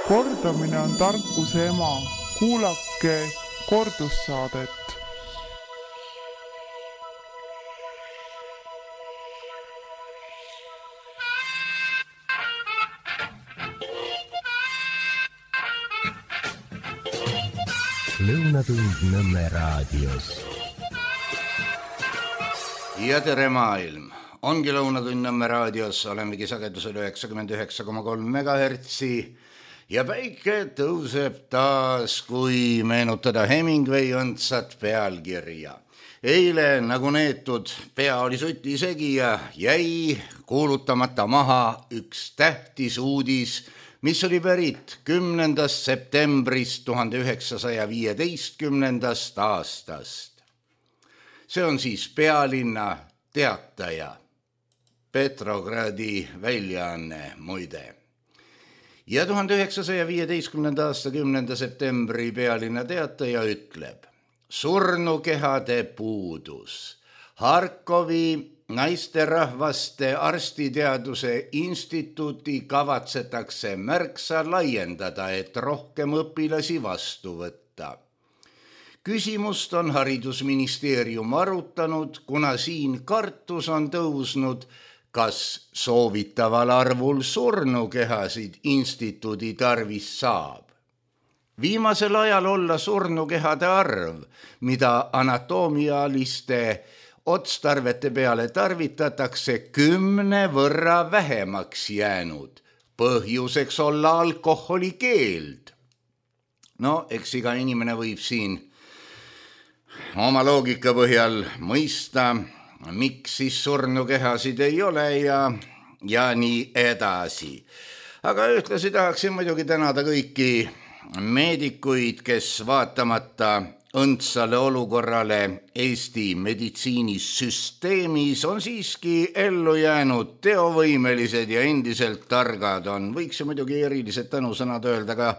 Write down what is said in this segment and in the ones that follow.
Kordamine on tarkuse ema. Kuulake kordussaadet. Lõunatund Nõmme raadios. Ja tere maailm! Ongi Lõunatund Nõmme raadios, olemegi sagedusel 99,3 MHz ja päike tõuseb taas, kui meenutada Hemingway õndsat pealkirja. Eile nagu neetud pea oli suti segi ja jäi kuulutamata maha üks tähtis uudis, mis oli pärit 10. septembrist 1915. aastast. See on siis Pealinna Teataja, Petrogradi väljaanne muide. Ja 1915. aasta 10. septembri Pealinna Teataja ütleb: surnukehade puudus. Harkovi naisterahvaste arstiteaduse instituuti kavatsetakse märksa laiendada, et rohkem õpilasi vastu võtta. Küsimust on haridusministeerium arutanud, kuna siin kartus on tõusnud, kas soovitaval arvul surnukehasid instituudi tarvis saab. Viimasel ajal olla surnukehade arv, mida anatoomialiste otstarvete peale tarvitatakse 10 võrra vähemaks jäänud. Põhjuseks olla alkoholi keeld. No, eks iga inimene võib siin oma loogika põhjal mõista, miks siis surnukehasid ei ole ja nii edasi. Aga ühtlasi tahaksin muidugi tänada kõiki meedikuid, kes vaatamata õndsale olukorrale Eesti meditsiinisüsteemis on siiski ellu jäänud teovõimelised ja endiselt targad on. Võiks ju muidugi erilised tänusõnad öelda ka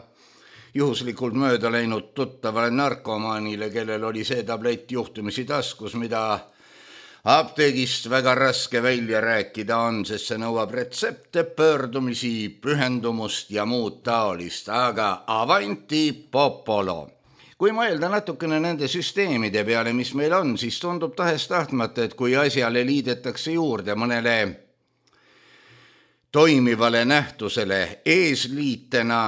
juhuslikult mööda läinud tuttavale narkomaanile, kellel oli see tablett juhtumisi taskus, mida apteegist väga raske välja rääkida on, sest see nõuab retsepte, pöördumisi, pühendumust ja muud taolist, aga avanti popolo. Kui mõelda natukene nende süsteemide peale, mis meil on, siis tundub tahes-tahtmata, et kui asjale liidetakse juurde mõnele toimivale nähtusele eesliitena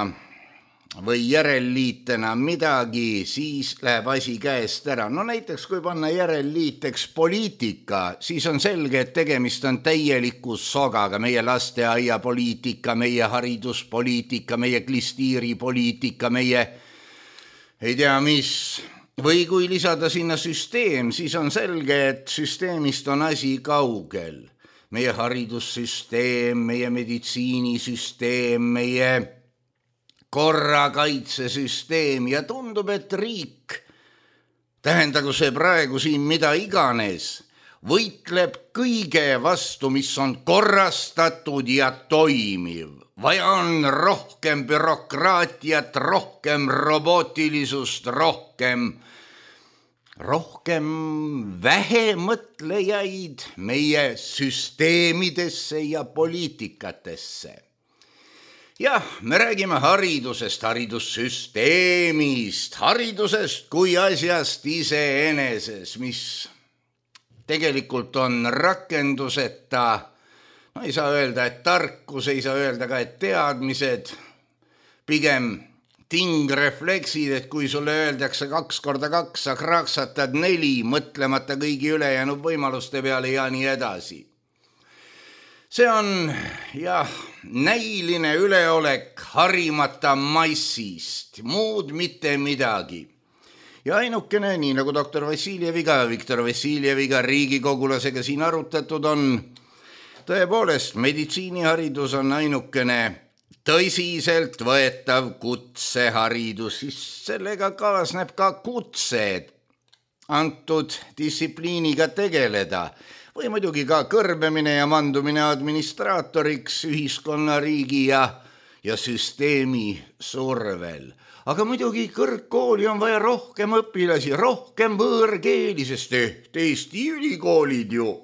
või järelliitena midagi, siis läheb asi käest ära. No näiteks, kui panna järelliiteks poliitika, siis on selge, et tegemist on täieliku sogaga. Meie lasteaiapoliitika, meie hariduspoliitika, meie klistiiripoliitika, meie ei tea mis. Või kui lisada sinna süsteem, siis on selge, et süsteemist on asi kaugel. Meie haridussüsteem, meie meditsiinisüsteem, meie korrakaitsesüsteem ja tundub, et riik, tähendagu see praegu siin mida iganes, võitleb kõige vastu, mis on korrastatud ja toimiv. Vaja on rohkem bürokraatiat, rohkem robootilisust, rohkem vähemõtlejaid meie süsteemidesse ja poliitikatesse. Jah, me räägime haridusest, haridussüsteemist, haridusest kui asjast iseeneses, mis tegelikult on rakenduseta. No ei saa öelda, et tarkus, ei saa öelda ka, et teadmised, pigem tingrefleksid, et kui sulle öeldakse 2 × 2, sa kraksatad 4, mõtlemata kõigi ülejäänud võimaluste peale ja nii edasi. See on jah, näiline üleolek harimata massist, muud mitte midagi. Ja ainukene, nii nagu doktor Viktor Vassiljeviga riigikogulasega siin arutatud on, tõepoolest, meditsiiniharidus on ainukene tõsiselt võetav kutseharidus, siis sellega kaasneb ka kutse antud distsipliiniga tegeleda või muidugi ka kõrbemine ja mandumine administraatoriks ühiskonna, riigi ja süsteemi survel. Aga muidugi kõrgkooli on vaja rohkem õpilasi, rohkem võõrkeeli, sest Eesti ülikoolid ju.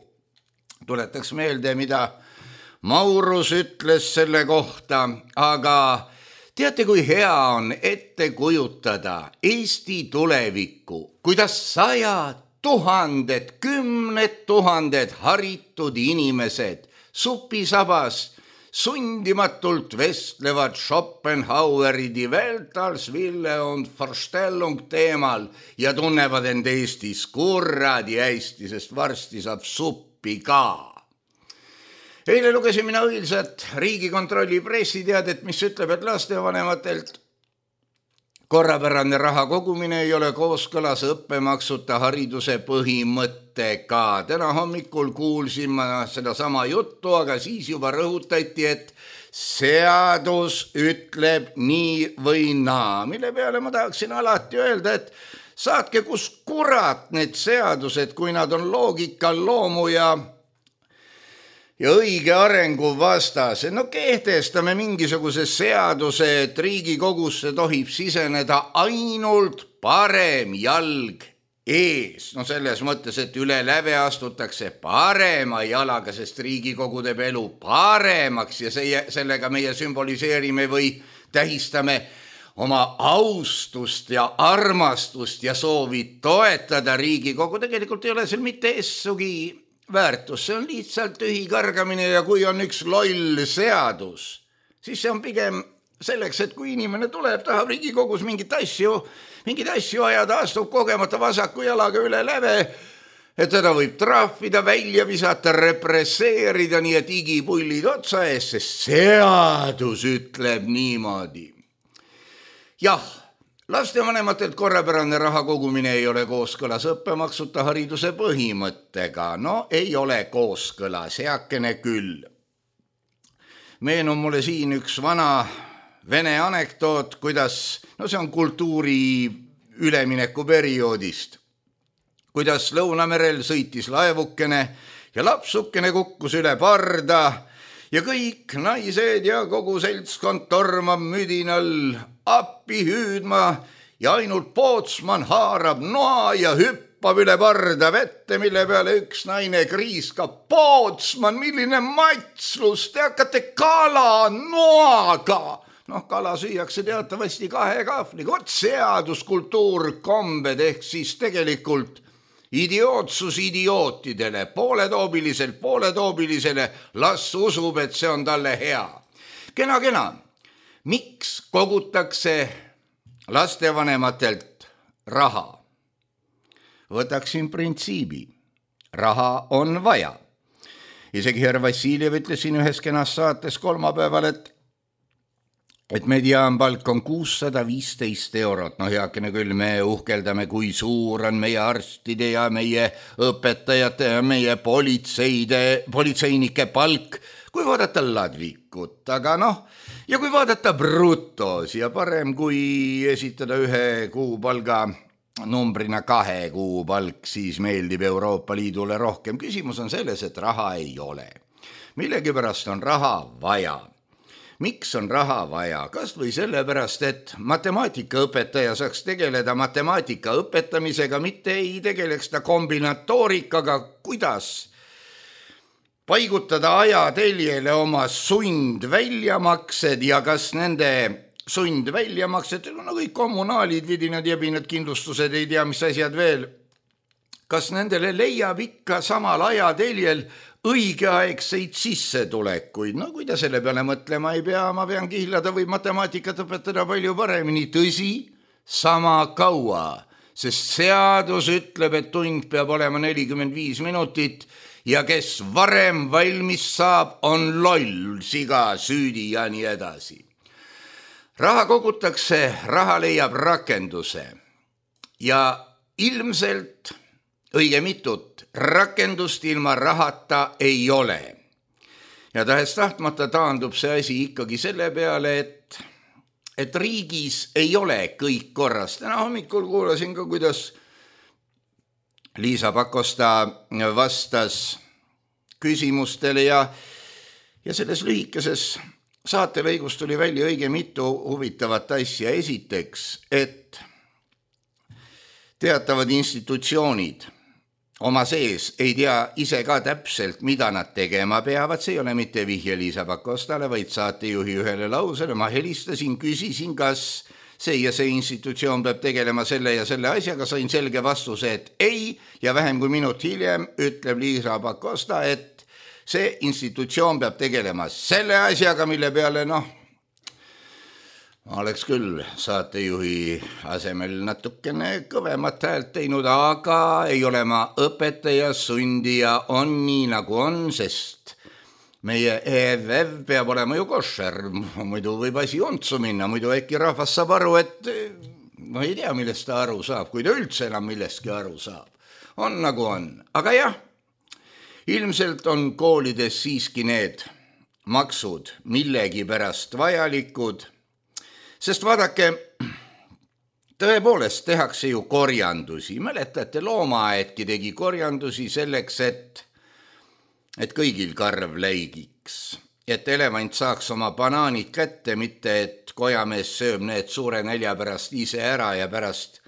Tuletaks meelde, mida Maurus ütles selle kohta, aga Teate, kui hea on ette kujutada Eesti tulevikku, kuidas 100 000, 10 000 haritud inimesed supisabas sundimatult vestlevad Schopenhaueri Die Welt als Wille und Vorstellung teemal ja tunnevad end Eestis kurradi hästi, sest varsti saab suppi ka. Eile lugesin mina õilsat Riigikontrolli pressiteadet, mis ütleb, et lastevanematelt korrapärane raha kogumine ei ole kooskõlas õppemaksuta hariduse põhimõttega. Täna hommikul kuulsin ma sedasama juttu, aga siis juba rõhutati, et seadus ütleb nii või naa, mille peale ma tahaksin alati öelda, et saatke kus kurat need seadused, kui nad on loogika, loomu ja õige arengu vastas. No kehtestame mingisuguse seaduse, et Riigikogusse tohib siseneda ainult parem jalg ees. No selles mõttes, et üle läve astutakse parema jalaga, sest Riigikogu teeb elu paremaks ja sellega meie sümboliseerime või tähistame oma austust ja armastust ja soovi toetada Riigikogu. Tegelikult ei ole seal mitte essugi väärtus, see on lihtsalt tühi kargamine ja kui on üks loll seadus, siis see on pigem selleks, et kui inimene tuleb, tahab Riigikogus mingid asju ajada, astub kogemata vasaku jalaga üle läve, et teda võib trahvida, välja visata, represseerida, nii et igipullid otsa ees, sest seadus ütleb niimoodi. Jah, lastevanematelt korrapärane raha kogumine ei ole kooskõlas õppemaksuta hariduse põhimõttega. No ei ole kooskõlas, heakene küll. Meenub mulle siin üks vana vene anekdoot, kuidas, see on kultuuri ülemineku perioodist, kuidas Lõunamerel sõitis laevukene ja lapsukene kukkus üle parda ja kõik naised ja kogu seltskond tormab müdinal appi hüüdma ja ainult pootsman haarab noa ja hüppab üle parda vette, mille peale üks naine kriiskab: pootsman, milline matslus, te hakkate kala noaga. Kala süüakse teatavasti 2 kahvliga. Seaduskultuur, kombed ehk siis tegelikult idiootsus idiootidele, pooletoobilisele, las usub, et see on talle hea. Kena. Miks kogutakse lastevanematelt raha? Võtaksin printsiibi. Raha on vaja. Isegi härra Vassiljev ütles siin ühes kenas saates kolmapäeval, et mediaanpalk on 615 eurot. Heakene küll, me uhkeldame, kui suur on meie arstide ja meie õpetajate ja meie politseinike palk, kui vaadata ladvikut, aga ja kui vaadata brutos ja parem kui esitada 1 kuupalga numbrina 2 kuupalk, siis meeldib Euroopa Liidule rohkem. Küsimus on selles, et raha ei ole. Millegipärast on raha vaja. Miks on raha vaja? Kas või sellepärast, et matemaatikaõpetaja saaks tegeleda matemaatika õpetamisega, mitte ei tegeleks ta kombinatoorikaga, kuidas paigutada ajateljele oma sundväljamaksed ja kas nende sundväljamaksed, kõik kommunaalid, vidinad, jebinad, kindlustused, ei tea, mis asjad veel, kas nendele leiab ikka samal ajateljel õigeaegseid sissetulekuid. Kui ta selle peale mõtlema ei pea, ma pean kihlada või matemaatikat õpetada palju paremini. Tõsi, sama kaua, sest seadus ütleb, et tund peab olema 45 minutit ja kes varem valmis saab, on loll, siga, süüdi ja nii edasi. Raha kogutakse, raha leiab rakenduse ja ilmselt õige mitut rakendust ilma rahata ei ole. Ja tahes-tahtmata taandub see asi ikkagi selle peale, et riigis ei ole kõik korras. Täna hommikul kuulasin ka, kuidas Liisa Pakosta vastas küsimustele ja selles lühikeses saatelõigus tuli välja õige mitu huvitavat asja. Esiteks, et teatavad institutsioonid oma sees ei tea ise ka täpselt, mida nad tegema peavad, see ei ole mitte vihje Liisa Pakostale, vaid saatejuhi ühele lausele. Ma helistasin, küsisin, kas see ja see institutsioon peab tegelema selle ja selle asjaga, sain selge vastuse, et ei, ja vähem kui minut hiljem ütleb Liisa Pakosta, et see institutsioon peab tegelema selle asjaga, mille peale ma oleks küll saatejuhi asemel natukene kõvemat häält teinud, aga ei ole ma õpetaja, sundija on nii nagu on, sest meie EVV peab olema ju košer, muidu võib asi untsu minna, muidu äkki rahvas saab aru, et ei tea, millest ta aru saab, kui ta üldse enam millestki aru saab. On nagu on, aga jah, ilmselt on koolides siiski need maksud millegi pärast vajalikud, sest vaadake, tõepoolest tehakse ju korjandusi. Mäletate, loomaaedki tegi korjandusi selleks, et kõigil karv läigiks, et elevant saaks oma banaanid kätte, mitte et kojamees sööb need suure nälja pärast ise ära ja pärast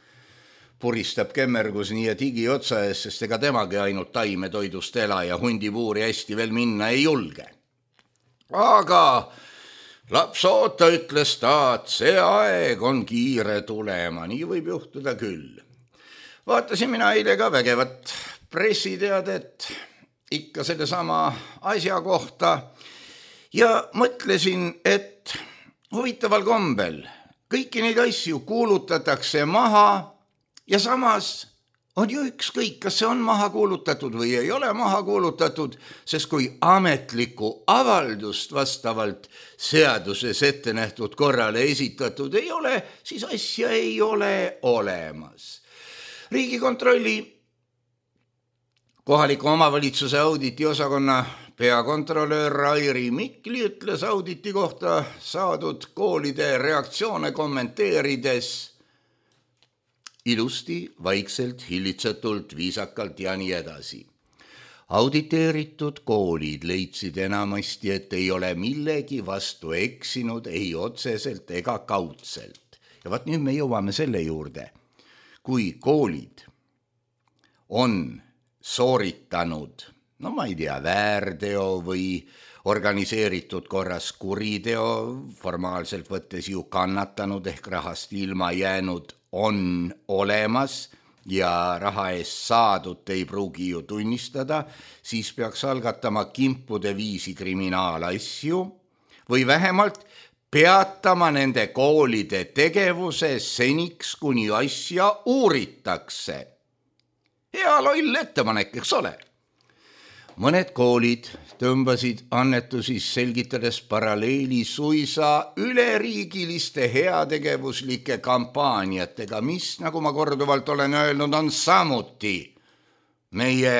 puristab kemmergus nii ja tigi otsa ees, sest ega temagi ainult taimetoidust ela ja hundipuuri hästi veel minna ei julge. Aga laps oota, ütles ta, et see aeg on kiire tulema, nii võib juhtuda küll. Vaatasin mina eile ka vägevat pressiteadet ikka selle sama asja kohta ja mõtlesin, et huvitaval kombel kõiki neid asju kuulutatakse maha ja samas on ju ükskõik, kas see on maha kuulutatud või ei ole maha kuulutatud, sest kui ametlikku avaldust vastavalt seaduses ette nähtud korrale esitatud ei ole, siis asja ei ole olemas. Riigikontrolli kohaliku omavalitsuse auditi osakonna peakontrolöör Rairi Mikli ütles auditi kohta saadud koolide reaktsioone kommenteerides ilusti, vaikselt, hillitsetult, viisakalt ja nii edasi. Auditeeritud koolid leidsid enamasti, et ei ole millegi vastu eksinud ei otseselt ega kaudselt. Ja vaat nüüd me jõuame selle juurde. Kui koolid on sooritanud, ma ei tea, väärteo või organiseeritud korras kuriteo, formaalselt võttes ju kannatanud ehk rahast ilma jäänud on olemas ja raha eest saadut ei pruugi ju tunnistada, siis peaks algatama kimpude viisi kriminaalasju või vähemalt peatama nende koolide tegevuse seniks, kuni asja uuritakse. Hea loll ettepanek, eks ole? Mõned koolid tõmbasid annetusi selgitades paralleeli suisa üleriigiliste heategevuslike kampaaniatega, mis, nagu ma korduvalt olen öelnud, on samuti meie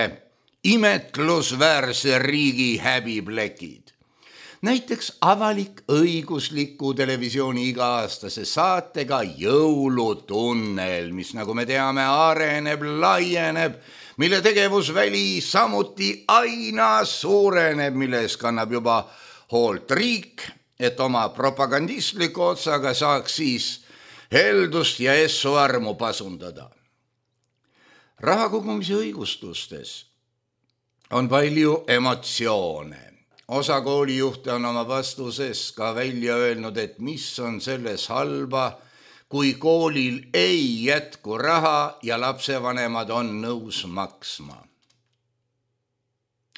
imetlusväärse riigi häbiplekid. Näiteks avalik-õigusliku televisiooni iga-aastase saatega Jõulutunnel, mis, nagu me teame, areneb, laieneb, mille tegevusväli samuti aina suureneb, milles kannab juba hoolt riik, et oma propagandistliku otsaga saaks siis heldust ja essu armu pasundada. Raha kogumise õigustustes on palju emotsioone. Osa koolijuhte on oma vastuses ka välja öelnud, et mis on selles halba, kui koolil ei jätku raha ja lapsevanemad on nõus maksma.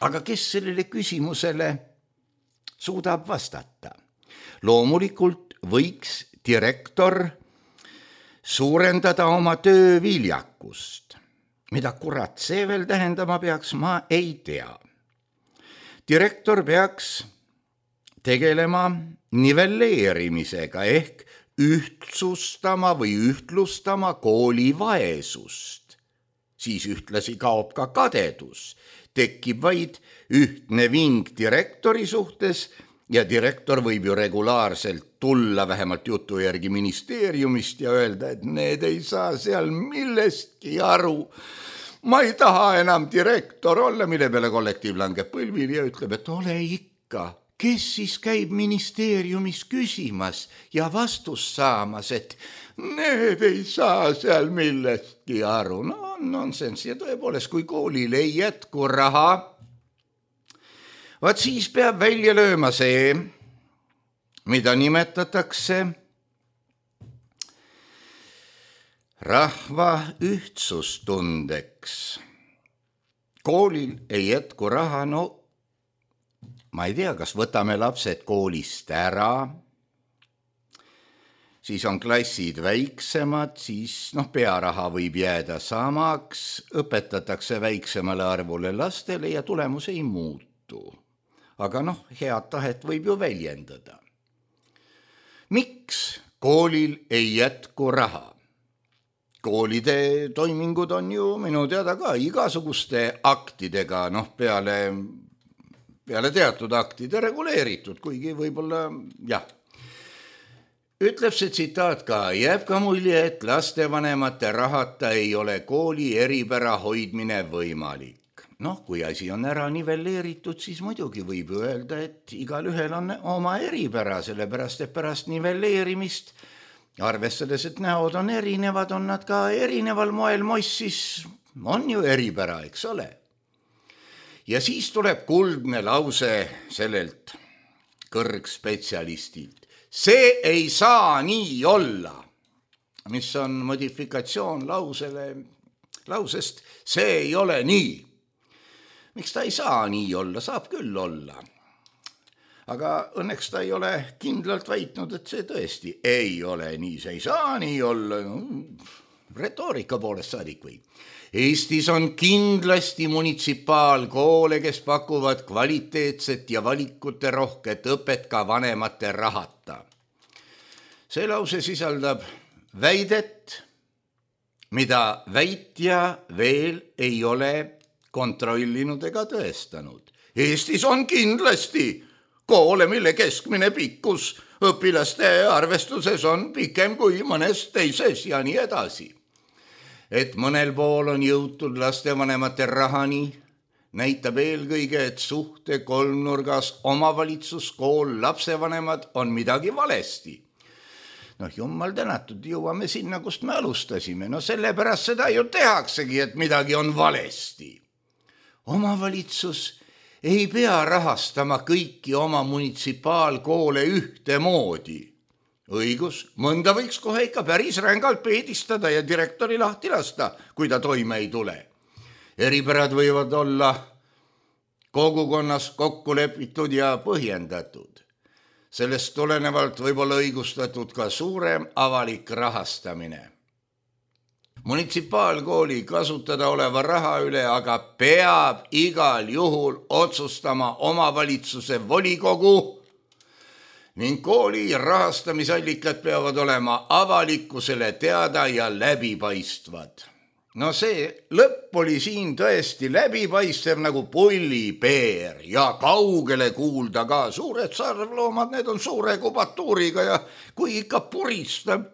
Aga kes sellele küsimusele suudab vastata? Loomulikult võiks direktor suurendada oma töö viljakust. Mida kurat see veel tähendama peaks, ma ei tea. Direktor peaks tegelema nivelleerimisega ehk ühtsustama või ühtlustama kooli vaesust. Siis ühtlasi kaob ka kadedus. Tekib vaid ühtne ving direktori suhtes ja direktor võib ju regulaarselt tulla vähemalt jutu järgi ministeeriumist ja öelda, et need ei saa seal millestki aru. Ma ei taha enam direktor olla, mille peale kollektiiv langeb põlvili ja ütleb, et ole ikka. Kes siis käib ministeeriumis küsimas ja vastust saamas, et need ei saa seal millestki aru. No on nonsenss ja tõepoolest, kui koolil ei jätku raha, vaat siis peab välja lööma see, mida nimetatakse rahva ühtsustundeks. Koolil ei jätku raha, no ma ei tea, kas võtame lapsed koolist ära, siis on klassid väiksemad, siis pearaha võib jääda samaks, õpetatakse väiksemale arvule lastele ja tulemus ei muutu. Aga head tahet võib ju väljendada. Miks koolil ei jätku raha? Koolide toimingud on ju minu teada ka igasuguste aktidega, peale teatud aktide reguleeritud, kuigi võib-olla jah. Ütleb see tsitaat ka, jääb ka mulje, et lastevanemate rahata ei ole kooli eripära hoidmine võimalik. Kui asi on ära nivelleeritud, siis muidugi võib öelda, et igal ühel on oma eripära, sellepärast, et pärast nivelleerimist, arvestades, et näod on erinevad, on nad ka erineval moel moss, siis on ju eripära, eks ole. Ja siis tuleb kuldne lause sellelt kõrgspetsialistilt. See ei saa nii olla, mis on modifikatsioon lausest, see ei ole nii. Miks ta ei saa nii olla? Saab küll olla. Aga õnneks ta ei ole kindlalt väitnud, et see tõesti ei ole nii. See ei saa nii olla. Retoorika poolest saadik või. Eestis on kindlasti munitsipaalkoole, kes pakuvad kvaliteetset ja valikute rohket õpet ka vanemate rahata. See lause sisaldab väidet, mida väitja veel ei ole kontrollinud ega tõestanud. Eestis on kindlasti koole, mille keskmine pikkus õpilaste arvestuses on pikem kui mõnes teises ja nii edasi. Et mõnel pool on jõutud lastevanemate rahani, näitab eelkõige, et suhte kolmnurgas omavalitsus, kool, lapsevanemad on midagi valesti. Jumal tänatud, jõuame sinna, kust me alustasime. Sellepärast seda ju tehaksegi, et midagi on valesti. Omavalitsus ei pea rahastama kõiki oma munitsipaalkoole ühtemoodi. Õigus, mõnda võiks kohe ikka päris rängalt peedistada ja direktori lahti lasta, kui ta toime ei tule. Eripärad võivad olla kogukonnas kokku lepitud ja põhjendatud. Sellest tulenevalt võib olla õigustatud ka suurem avalik rahastamine. Munitsipaalkooli kasutada oleva raha üle aga peab igal juhul otsustama omavalitsuse volikogu ning kooli rahastamisallikad peavad olema avalikkusele teada ja läbipaistvad. See lõpp oli siin tõesti läbipaistev nagu pullipeer ja kaugele kuulda ka. Suured sarvloomad, need on suure kubatuuriga ja kui ikka puristab,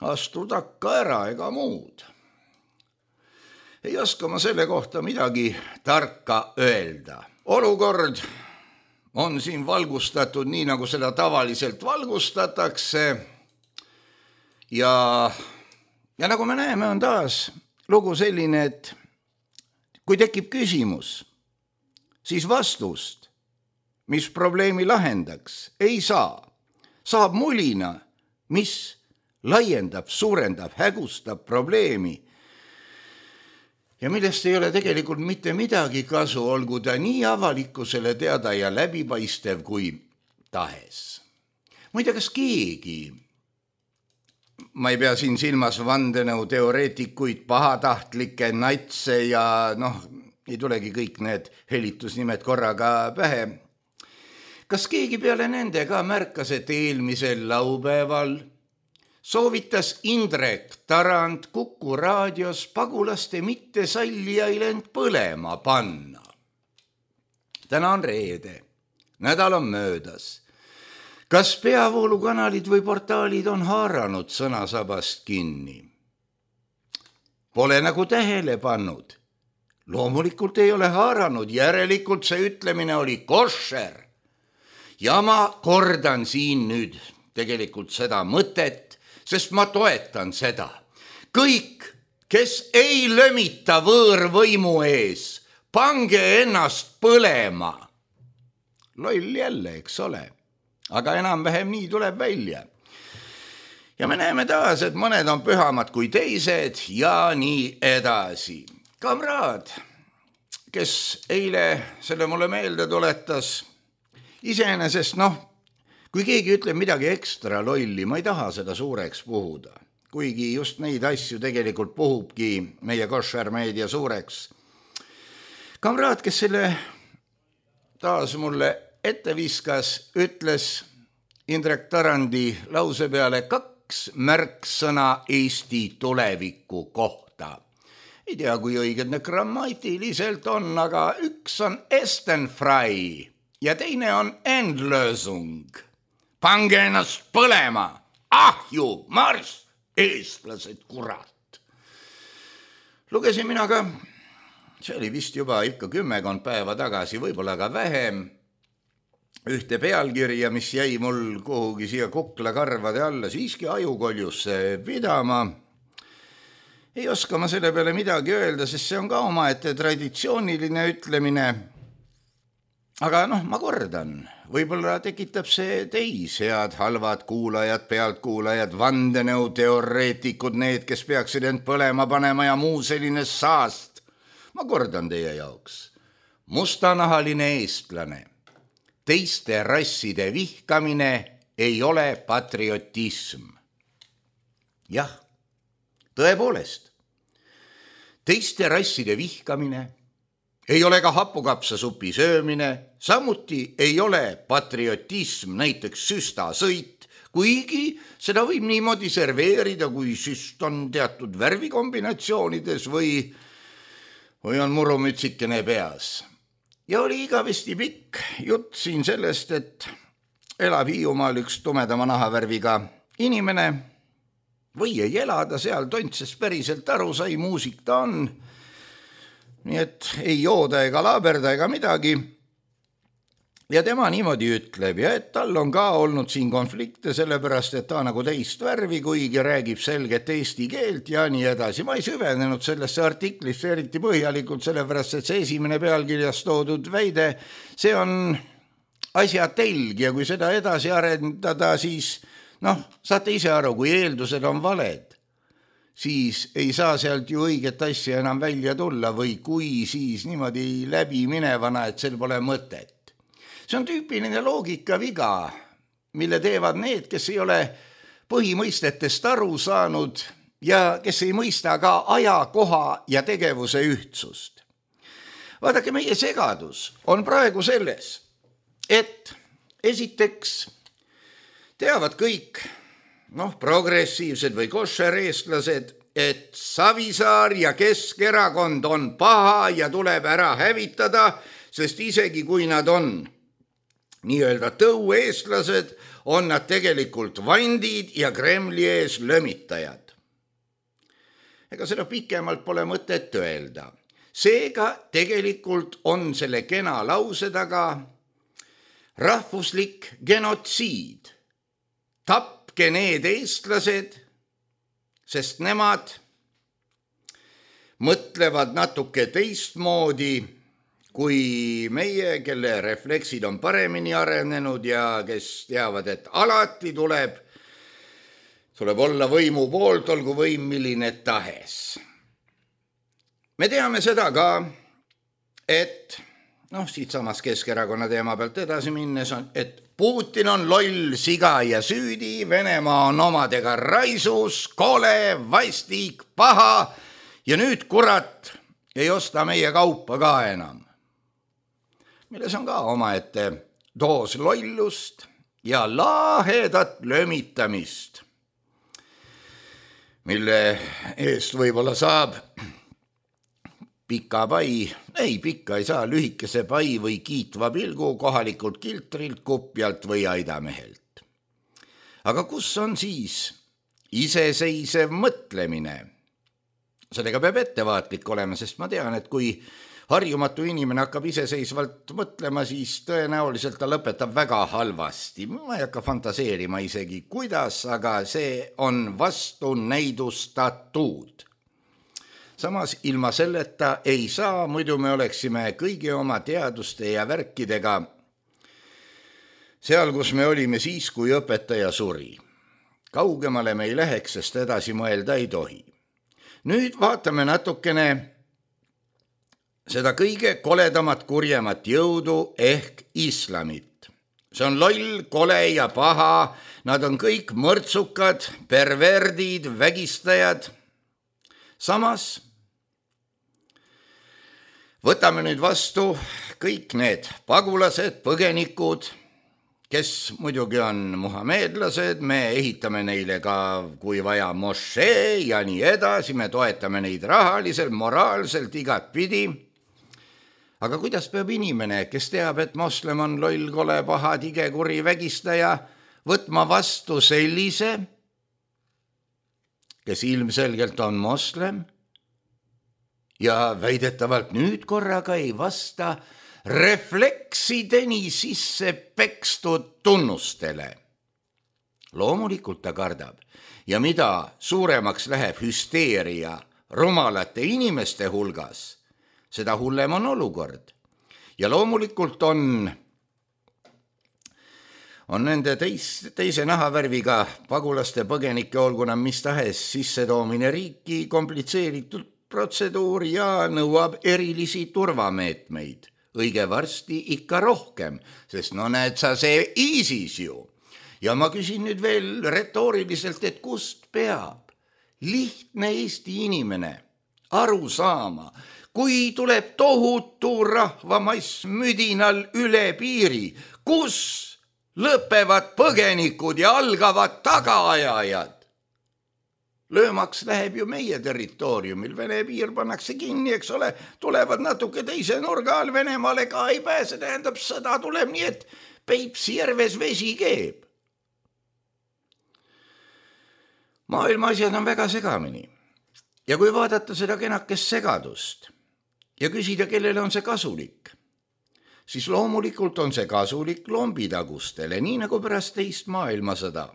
astu takka ära ega muud. Ei oska ma selle kohta midagi tarka öelda. Olukord on siin valgustatud nii, nagu seda tavaliselt valgustatakse ja nagu me näeme, on taas lugu selline, et kui tekib küsimus, siis vastust, mis probleemi lahendaks, ei saa. Saab mulina, mis laiendab, suurendab, hägustab probleemi ja millest ei ole tegelikult mitte midagi kasu, olgu ta nii avalikkusele teada ja läbipaistev kui tahes. Muide, kas keegi, ma ei pea siin silmas vandenõu teoreetikuid, pahatahtlikke natse ja ei tulegi kõik need helitusnimed korraga pähe. Kas keegi peale nende ka märkas, et eelmisel laupäeval soovitas Indrek Tarand Kuku raadios pagulaste mittesallijail end põlema panna? Täna on reede, nädal on möödas. Kas peavoolukanalid või portaalid on haaranud sõnasabast kinni? Pole nagu tähele pannud. Loomulikult ei ole haaranud, järelikult see ütlemine oli koššer. Ja ma kordan siin nüüd tegelikult seda mõtet, sest ma toetan seda. Kõik kes ei lömita võõrvõimu ees, pange ennast põlema. Loll jälle, eks ole, aga enam-vähem nii tuleb välja. Ja me näeme taas, et mõned on pühamad kui teised ja nii edasi. Kamraad, kes eile selle mulle meelde tuletas, iseenesest kui keegi ütleb midagi ekstra lolli, ma ei taha seda suureks puhuda, kuigi just neid asju tegelikult puhubki meie koššermeedia suureks. Kamraad, kes selle taas mulle ette viskas, ütles Indrek Tarandi lause peale 2 märksõna Eesti tuleviku kohta. Ei tea, kui õiged need grammatiliselt on, aga üks on Estenfrei ja teine on Endlösung. Pange ennast põlema, ahju, marss, eestlased, kurat. Lugesin mina ka, see oli vist juba ikka 10 päeva tagasi, võib-olla ka vähem, ühte pealkirja, mis jäi mul kuhugi siia kuklakarvade alla, siiski ajukoljusse pidama. Ei oska ma selle peale midagi öelda, sest see on ka omaette traditsiooniline ütlemine. Aga ma kordan, võib-olla tekitab see teis, head halvad kuulajad, pealtkuulajad, vandenõuteoreetikud, need, kes peaksid end põlema panema ja muu selline saast. Ma kordan teie jaoks. Mustanahaline eestlane, teiste rasside vihkamine ei ole patriotism. Jah, tõepoolest, teiste rasside vihkamine ei ole ka hapukapsasupi söömine, samuti ei ole patriotism näiteks süstasõit, kuigi seda võib niimoodi serveerida, kui süst on teatud värvikombinatsioonides või on murumütsikene peas. Ja oli igavesti pikk jutt siin sellest, et elab Hiiumaal üks tumedama nahavärviga inimene või ei elada seal, Tontsest päriselt aru sai, muusik ta on. Nii et ei jooda ega laaberda ega midagi. Ja tema niimoodi ütleb, ja et tal on ka olnud siin konflikte, sellepärast, et ta nagu teist värvi, kuigi räägib selget eesti keelt ja nii edasi. Ma ei süvenenud sellesse artiklisse eriti põhjalikult, sellepärast, et see esimene pealkirjas toodud väide, see on asja telg ja kui seda edasi arendada, siis saate ise aru, kui eeldused on valed, siis ei saa sealt ju õiget asja enam välja tulla või kui siis niimoodi läbi minevana, et sel pole mõtet. See on tüüpiline loogikaviga, mille teevad need, kes ei ole põhimõistetest aru saanud ja kes ei mõista ka aja, koha ja tegevuse ühtsust. Vaadake, meie segadus on praegu selles, et esiteks teavad kõik, progressiivsed või koššereestlased, et Savisaar ja Keskerakond on paha ja tuleb ära hävitada, sest isegi kui nad on nii-öelda tõueestlased, on nad tegelikult vandid ja Kremli ees lömitajad. Ega seda pikemalt pole mõtet öelda. Seega tegelikult on selle kena lause taga rahvuslik genotsiid. Tapke need eestlased, sest nemad mõtlevad natuke teistmoodi kui meie, kelle refleksid on paremini arenenud ja kes teavad, et alati tuleb olla võimu poolt, olgu võim milline tahes. Me teame seda ka, et siit samas Keskerakonna teema pealt edasi minnes on, et Putin on loll, siga ja süüdi, Venemaa on omadega raisus, kole, vastik, paha ja nüüd kurat ei osta meie kaupa ka enam. Milles on ka omaette doos lollust ja lahedat lömitamist, mille eest võib-olla saab pika pai, pikka ei saa, lühikese pai või kiitva pilgu kohalikult kiltrilt, kupjalt või aidamehelt. Aga kus on siis iseseisev mõtlemine? Sellega peab ettevaatlik olema, sest ma tean, et kui harjumatu inimene hakkab iseseisvalt mõtlema, siis tõenäoliselt ta lõpetab väga halvasti. Ma ei hakka fantaseerima isegi, kuidas, aga see on vastunäidustatud. samas ilma selleta ei saa, muidu me oleksime kõigi oma teaduste ja värkidega seal, kus me olime siis, kui õpetaja suri. Kaugemale me ei läheks, sest edasi mõelda ei tohi. Nüüd vaatame natukene seda kõige koledamat, kurjemat jõudu ehk islamit. See on loll, kole ja paha, nad on kõik mõrtsukad, perverdid, vägistajad. Samas võtame nüüd vastu kõik need pagulased, põgenikud, kes muidugi on muhameedlased, me ehitame neile ka, kui vaja, mošee ja nii edasi, me toetame neid rahaliselt, moraalselt, igat pidi. Aga kuidas peab inimene, kes teab, et moslem on loll, kole, paha, tige, kuri, vägistaja, võtma vastu sellise, kes ilmselgelt on moslem ja väidetavalt nüüd korraga ei vasta refleksideni sisse pekstud tunnustele. Loomulikult ta kardab ja mida suuremaks läheb hüsteeria rumalate inimeste hulgas, seda hullem on olukord. Ja loomulikult on nende teise nahavärviga pagulaste põgenike, olgu nad mis tahes sissetoomine riiki komplitseeritud protseduur ja nõuab erilisi turvameetmeid. Õige varsti ikka rohkem, sest no näed sa see ISIS ju. Ja ma küsin nüüd veel retooriliselt, et kust peab lihtne Eesti inimene aru saama, kui tuleb tohutu rahvamass müdinal üle piiri, kus lõpevad põgenikud ja algavad tagaajajad. Löömaks läheb ju meie territooriumil, Vene piir pannakse kinni, eks ole, tulevad natuke teise nurga all, Venemaale ka ei pääse, tähendab sõda tuleb nii, et Peipsi järves vesi keeb. Maailma asjad on väga segamini. Ja kui vaadata seda kenakest segadust ja küsida, kellele on see kasulik, siis loomulikult on see kasulik lombitagustele, nii nagu pärast teist maailmasõda.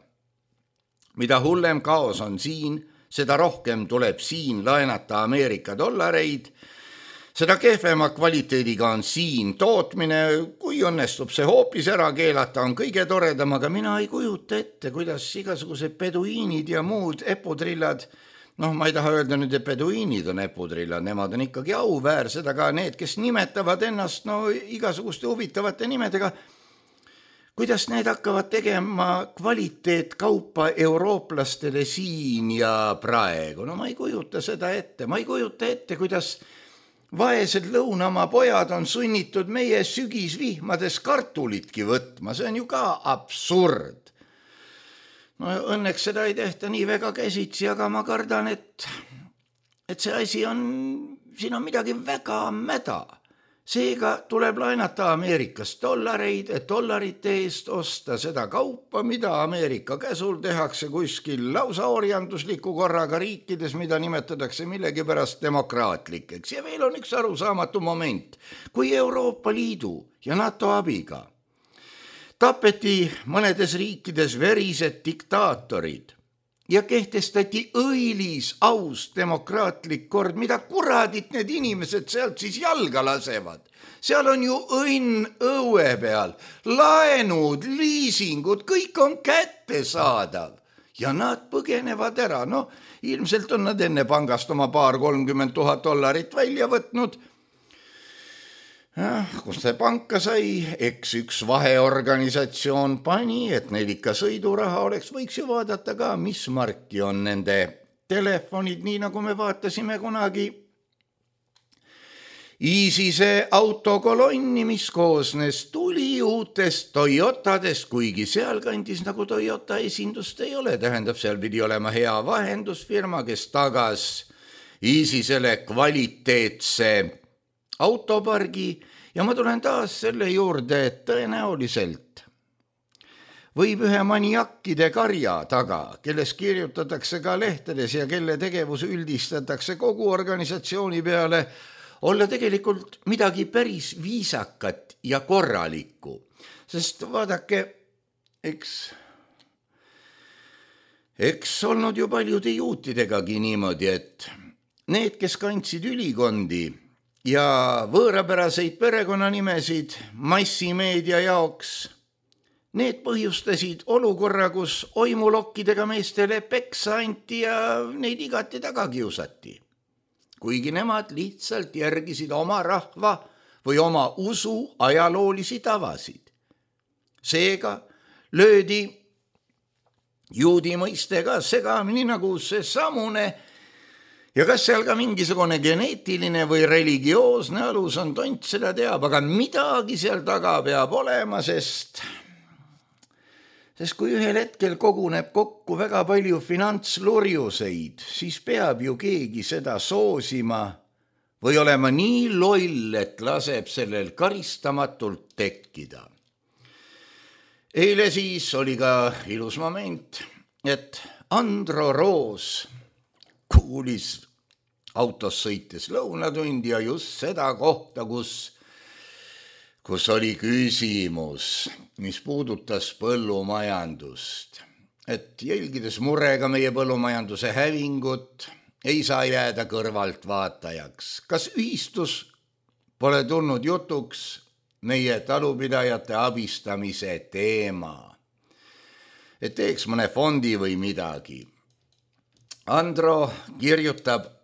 Mida hullem kaos on siin, seda rohkem tuleb siin laenata Ameerika dollareid, seda kehvema kvaliteediga on siin tootmine, kui õnnestub see hoopis ära keelata, on kõige toredam, aga mina ei kujuta ette, kuidas igasugused peduiinid ja muud eputrillad, ma ei taha öelda nüüd, et peduiinid on eputrillad, nemad on ikkagi auväärsed, aga need, kes nimetavad ennast igasuguste huvitavate nimedega, kuidas need hakkavad tegema kvaliteetkaupa eurooplastele siin ja praegu? Ma ei kujuta seda ette. Ma ei kujuta ette, kuidas vaesed lõunamaa pojad on sunnitud meie sügisvihmades kartulitki võtma. See on ju ka absurd. Õnneks seda ei tehta nii väga käsitsi, aga ma kardan, et see asi on, siin on midagi väga mäda. Seega tuleb laenata Ameerikast dollareid, et dollarite eest osta seda kaupa, mida Ameerika käsul tehakse kuskil lausa orjandusliku korraga riikides, mida nimetatakse millegipärast demokraatlikeks. Ja veel on üks arusaamatu moment. Kui Euroopa Liidu ja NATO abiga tapeti mõnedes riikides verised diktaatorid ja kehtestati õilis, aus, demokraatlik kord, mida kuradit need inimesed sealt siis jalga lasevad. Seal on ju õnn õue peal, laenud, liisingud, kõik on kättesaadav ja nad põgenevad ära. Ilmselt on nad enne pangast oma 30 000 $ välja võtnud. Kus see panka sai, eks üks vaheorganisatsioon pani, et neil ikka sõiduraha oleks, võiks ju vaadata ka, mis marki on nende telefonid, nii nagu me vaatasime kunagi ISISe autokolonni, mis koosnes tuliuutest Toyotadest, kuigi sealkandis nagu Toyota esindust ei ole, tähendab, seal pidi olema hea vahendusfirma, kes tagas ISISele kvaliteetse autopargi ja ma tulen taas selle juurde, et tõenäoliselt võib ühe maniakkide karja taga, kelles kirjutatakse ka lehtedes ja kelle tegevus üldistatakse kogu organisatsiooni peale, olla tegelikult midagi päris viisakat ja korralikku. Sest vaadake, eks olnud ju paljude juutidegagi niimoodi, et need, kes kandsid ülikondi ja võõrapäraseid perekonnanimesid massimeedia jaoks, need põhjustasid olukorra, kus oimulokkidega meestele peksa anti ja neid igati taga kiusati. Kuigi nemad lihtsalt järgisid oma rahva või oma usu ajaloolisi tavasid. Seega löödi juudi mõiste ka segamini nagu see samune ja kas seal ka mingisugune geneetiline või religioosne alus on, tont seda teab, aga midagi seal taga peab olema, sest kui ühel hetkel koguneb kokku väga palju finantslurjuseid, siis peab ju keegi seda soosima või olema nii loll, et laseb sellel karistamatult tekkida. Eile siis oli ka ilus moment, et Andro Roos kuulis autos sõites lõunatundi ja just seda kohta, kus oli küsimus, mis puudutas põllumajandust. Et jälgides murega meie põllumajanduse hävingut, ei saa jääda kõrvalt vaatajaks. Kas ühistus pole tulnud jutuks meie talupidajate abistamise teema? Et teeks mõne fondi või midagi. Andro kirjutab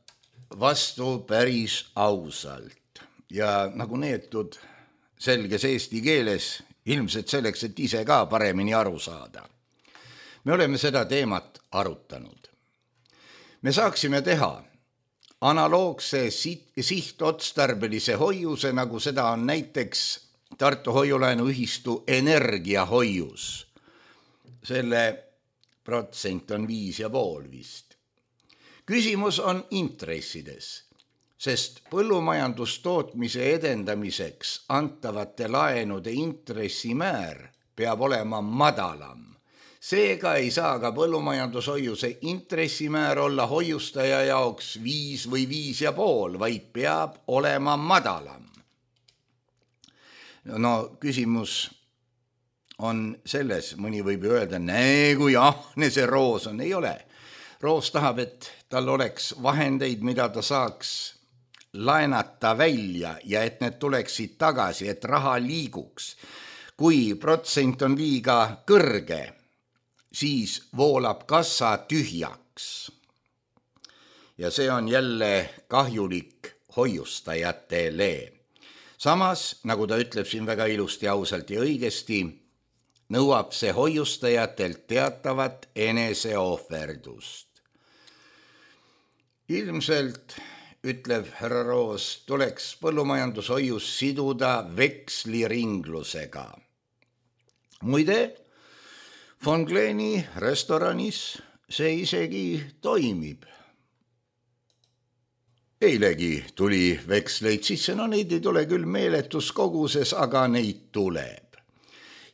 vastu päris ausalt ja nagu neetud selges eesti keeles, ilmselt selleks, et ise ka paremini aru saada. Me oleme seda teemat arutanud. Me saaksime teha analoogse sihtotstarbelise hoiuse, nagu seda on näiteks Tartu hoiulaenuühistu energiahoius. Selle protsent on 5,5 vist. Küsimus on intressides, sest põllumajandustootmise edendamiseks antavate laenude intressimäär peab olema madalam. Seega ei saa ka põllumajandushoiuse intressimäär olla hoiustaja jaoks 5 või 5,5, vaid peab olema madalam. No küsimus on selles, mõni võib öelda, näe kui ahne see Roos on, ei ole. Roos tahab, et tal oleks vahendeid, mida ta saaks laenata välja ja et need tuleksid tagasi, et raha liiguks. Kui protsent on liiga kõrge, siis voolab kassa tühjaks. Ja see on jälle kahjulik hoiustajatele. Samas, nagu ta ütleb siin väga ilusti, ausalt ja õigesti, nõuab see hoiustajatelt teatavat eneseohverdust. Ilmselt, ütleb härra Roos, tuleks põllumajandushoius siduda veksliringlusega. Muide, Von Gleni restoranis see isegi toimib. Eilegi tuli veksleid sisse, no neid ei tule küll meeletus koguses, aga neid tuleb.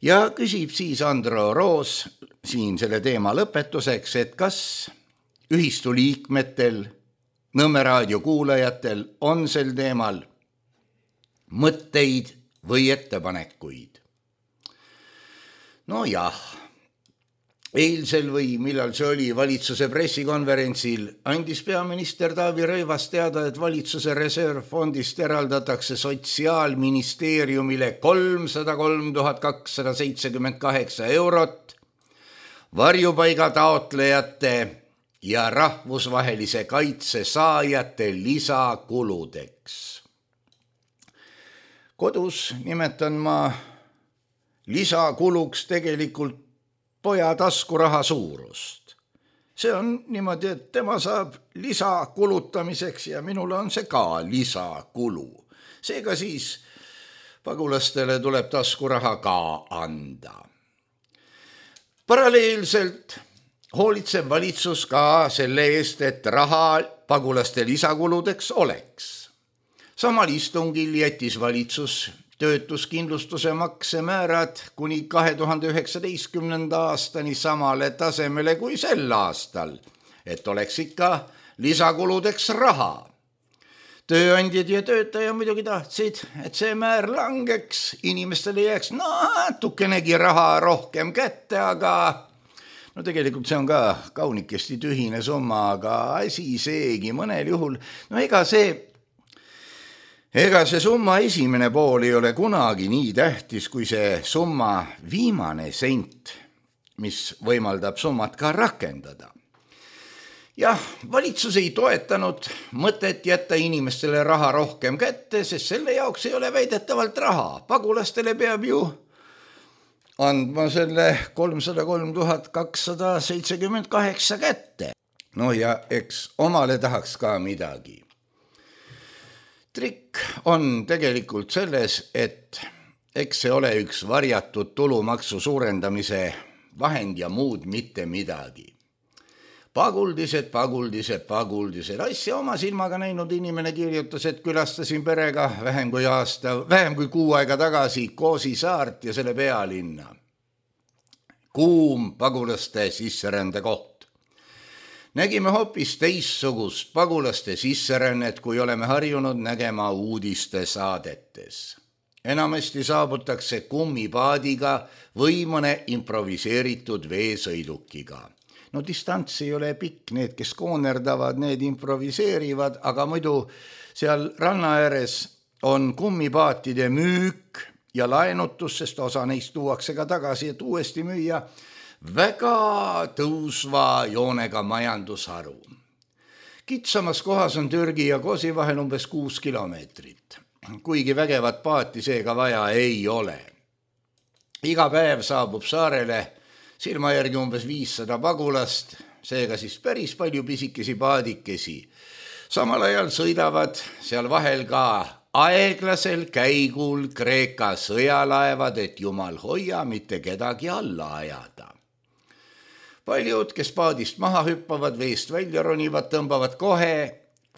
Ja küsib siis Andro Roos siin selle teema lõpetuseks, et kas ühistu liikmetel, Nõmme raadio kuulajatel on sel teemal mõtteid või ettepanekuid. No jah, eilsel või millal see oli valitsuse pressikonverentsil andis peaminister Taavi Rõivas teada, et valitsuse reservfondist eraldatakse Sotsiaalministeeriumile 303 278 eurot varjupaiga taotlejate ja rahvusvahelise kaitse saajate lisakuludeks. Kodus nimetan ma lisakuluks tegelikult poja taskuraha suurust. See on niimoodi, et tema saab lisakulutamiseks ja minule on see ka lisakulu. Seega siis pagulastele tuleb taskuraha ka anda. Paralleelselt hoolitseb valitsus ka selle eest, et raha pagulaste lisakuludeks oleks. Samal istungil jättis valitsus töötuskindlustuse maksemäärad kuni 2019. aastani samale tasemele kui sel aastal, et oleks ikka lisakuludeks raha. Tööandjad ja töötaja muidugi tahtsid, et see määr langeks, inimestele jääks natukenegi raha rohkem kätte, aga no tegelikult see on ka kaunikesti tühine summa, aga asi seegi mõnel juhul, no ega see summa esimene pool ei ole kunagi nii tähtis, kui see summa viimane sent, mis võimaldab summat ka rakendada. Jah, valitsus ei toetanud mõtet jätta inimestele raha rohkem kätte, sest selle jaoks ei ole väidetavalt raha. Pagulastele peab ju andma selle 303 278 kätte. No ja eks omale tahaks ka midagi. Trikk on tegelikult selles, et eks see ole üks varjatud tulumaksu suurendamise vahend ja muud mitte midagi. Paguldised, asja oma silmaga näinud inimene kirjutas, et külastasin perega vähem kui kuu aega tagasi Koosi saart ja selle pealinna. Kuum pagulaste sisserände koht. Nägime hoopis teistsugust pagulaste sisserännet, kui oleme harjunud nägema uudiste saadetes. Enamasti saabutakse kummipaadiga või mõne improviseeritud veesõidukiga. No distants ei ole pikk, need, kes koonerdavad, need improviseerivad, aga muidu seal ranna ääres on kummipaatide müük ja laenutus, sest osa neist tuuakse ka tagasi, et uuesti müüa, väga tõusva joonega majandusharu. Kitsamas kohas on Türgi ja Kosi vahel umbes 6 kilomeetrit, kuigi vägevat paati seega vaja ei ole. Iga päev saabub saarele silma järgi umbes 500 pagulast, seega siis päris palju pisikesi paadikesi. Samal ajal sõidavad seal vahel ka aeglasel käigul Kreeka sõjalaevad, et jumal hoia mitte kedagi alla ajada. Paljud, kes paadist maha hüppavad, veest välja ronivad, tõmbavad kohe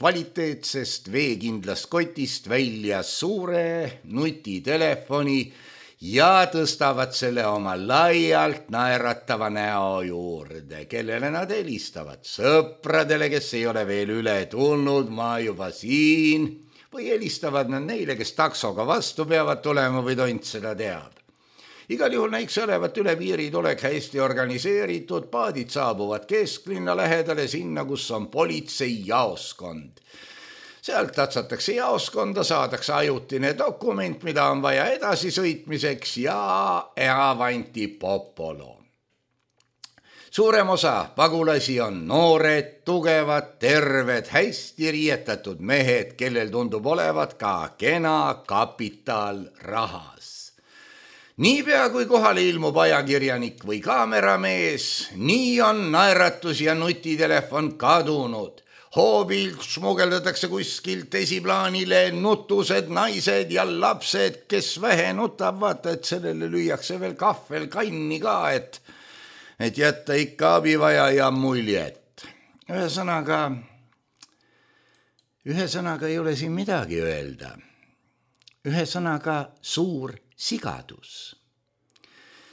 kvaliteetsest veekindlast kotist välja suure nutitelefoni ja tõstavad selle oma laialt naeratava näo juurde, kellele nad helistavad sõpradele, kes ei ole veel üle tulnud, ma juba siin, või helistavad nad neile, kes taksoga vastu peavad tulema või tont seda teab. Igal juhul näiks olevat üle piirid olek hästi organiseeritud, paadid saabuvad kesklinna lähedale sinna, kus on politsei jaoskond. Sealt tatsatakse jaoskonda, saadakse ajutine dokument, mida on vaja edasisõitmiseks ja avanti popolo. Suurem osa pagulasi on noored, tugevad, terved, hästi riietatud mehed, kellel tundub olevat ka kena kapital rahas. Niipea kui kohale ilmub ajakirjanik või kaameramees, nii on naeratus ja nutitelefon kadunud. Hoobilt smugeldatakse kuskilt esiplaanile nutused naised ja lapsed, kes vähe nutab, vaata, et sellele lüüakse veel kahvel kanni ka, et jätta ikka abivajaja muljet. Ühesõnaga ei ole siin midagi öelda. Ühesõnaga suur sigadus.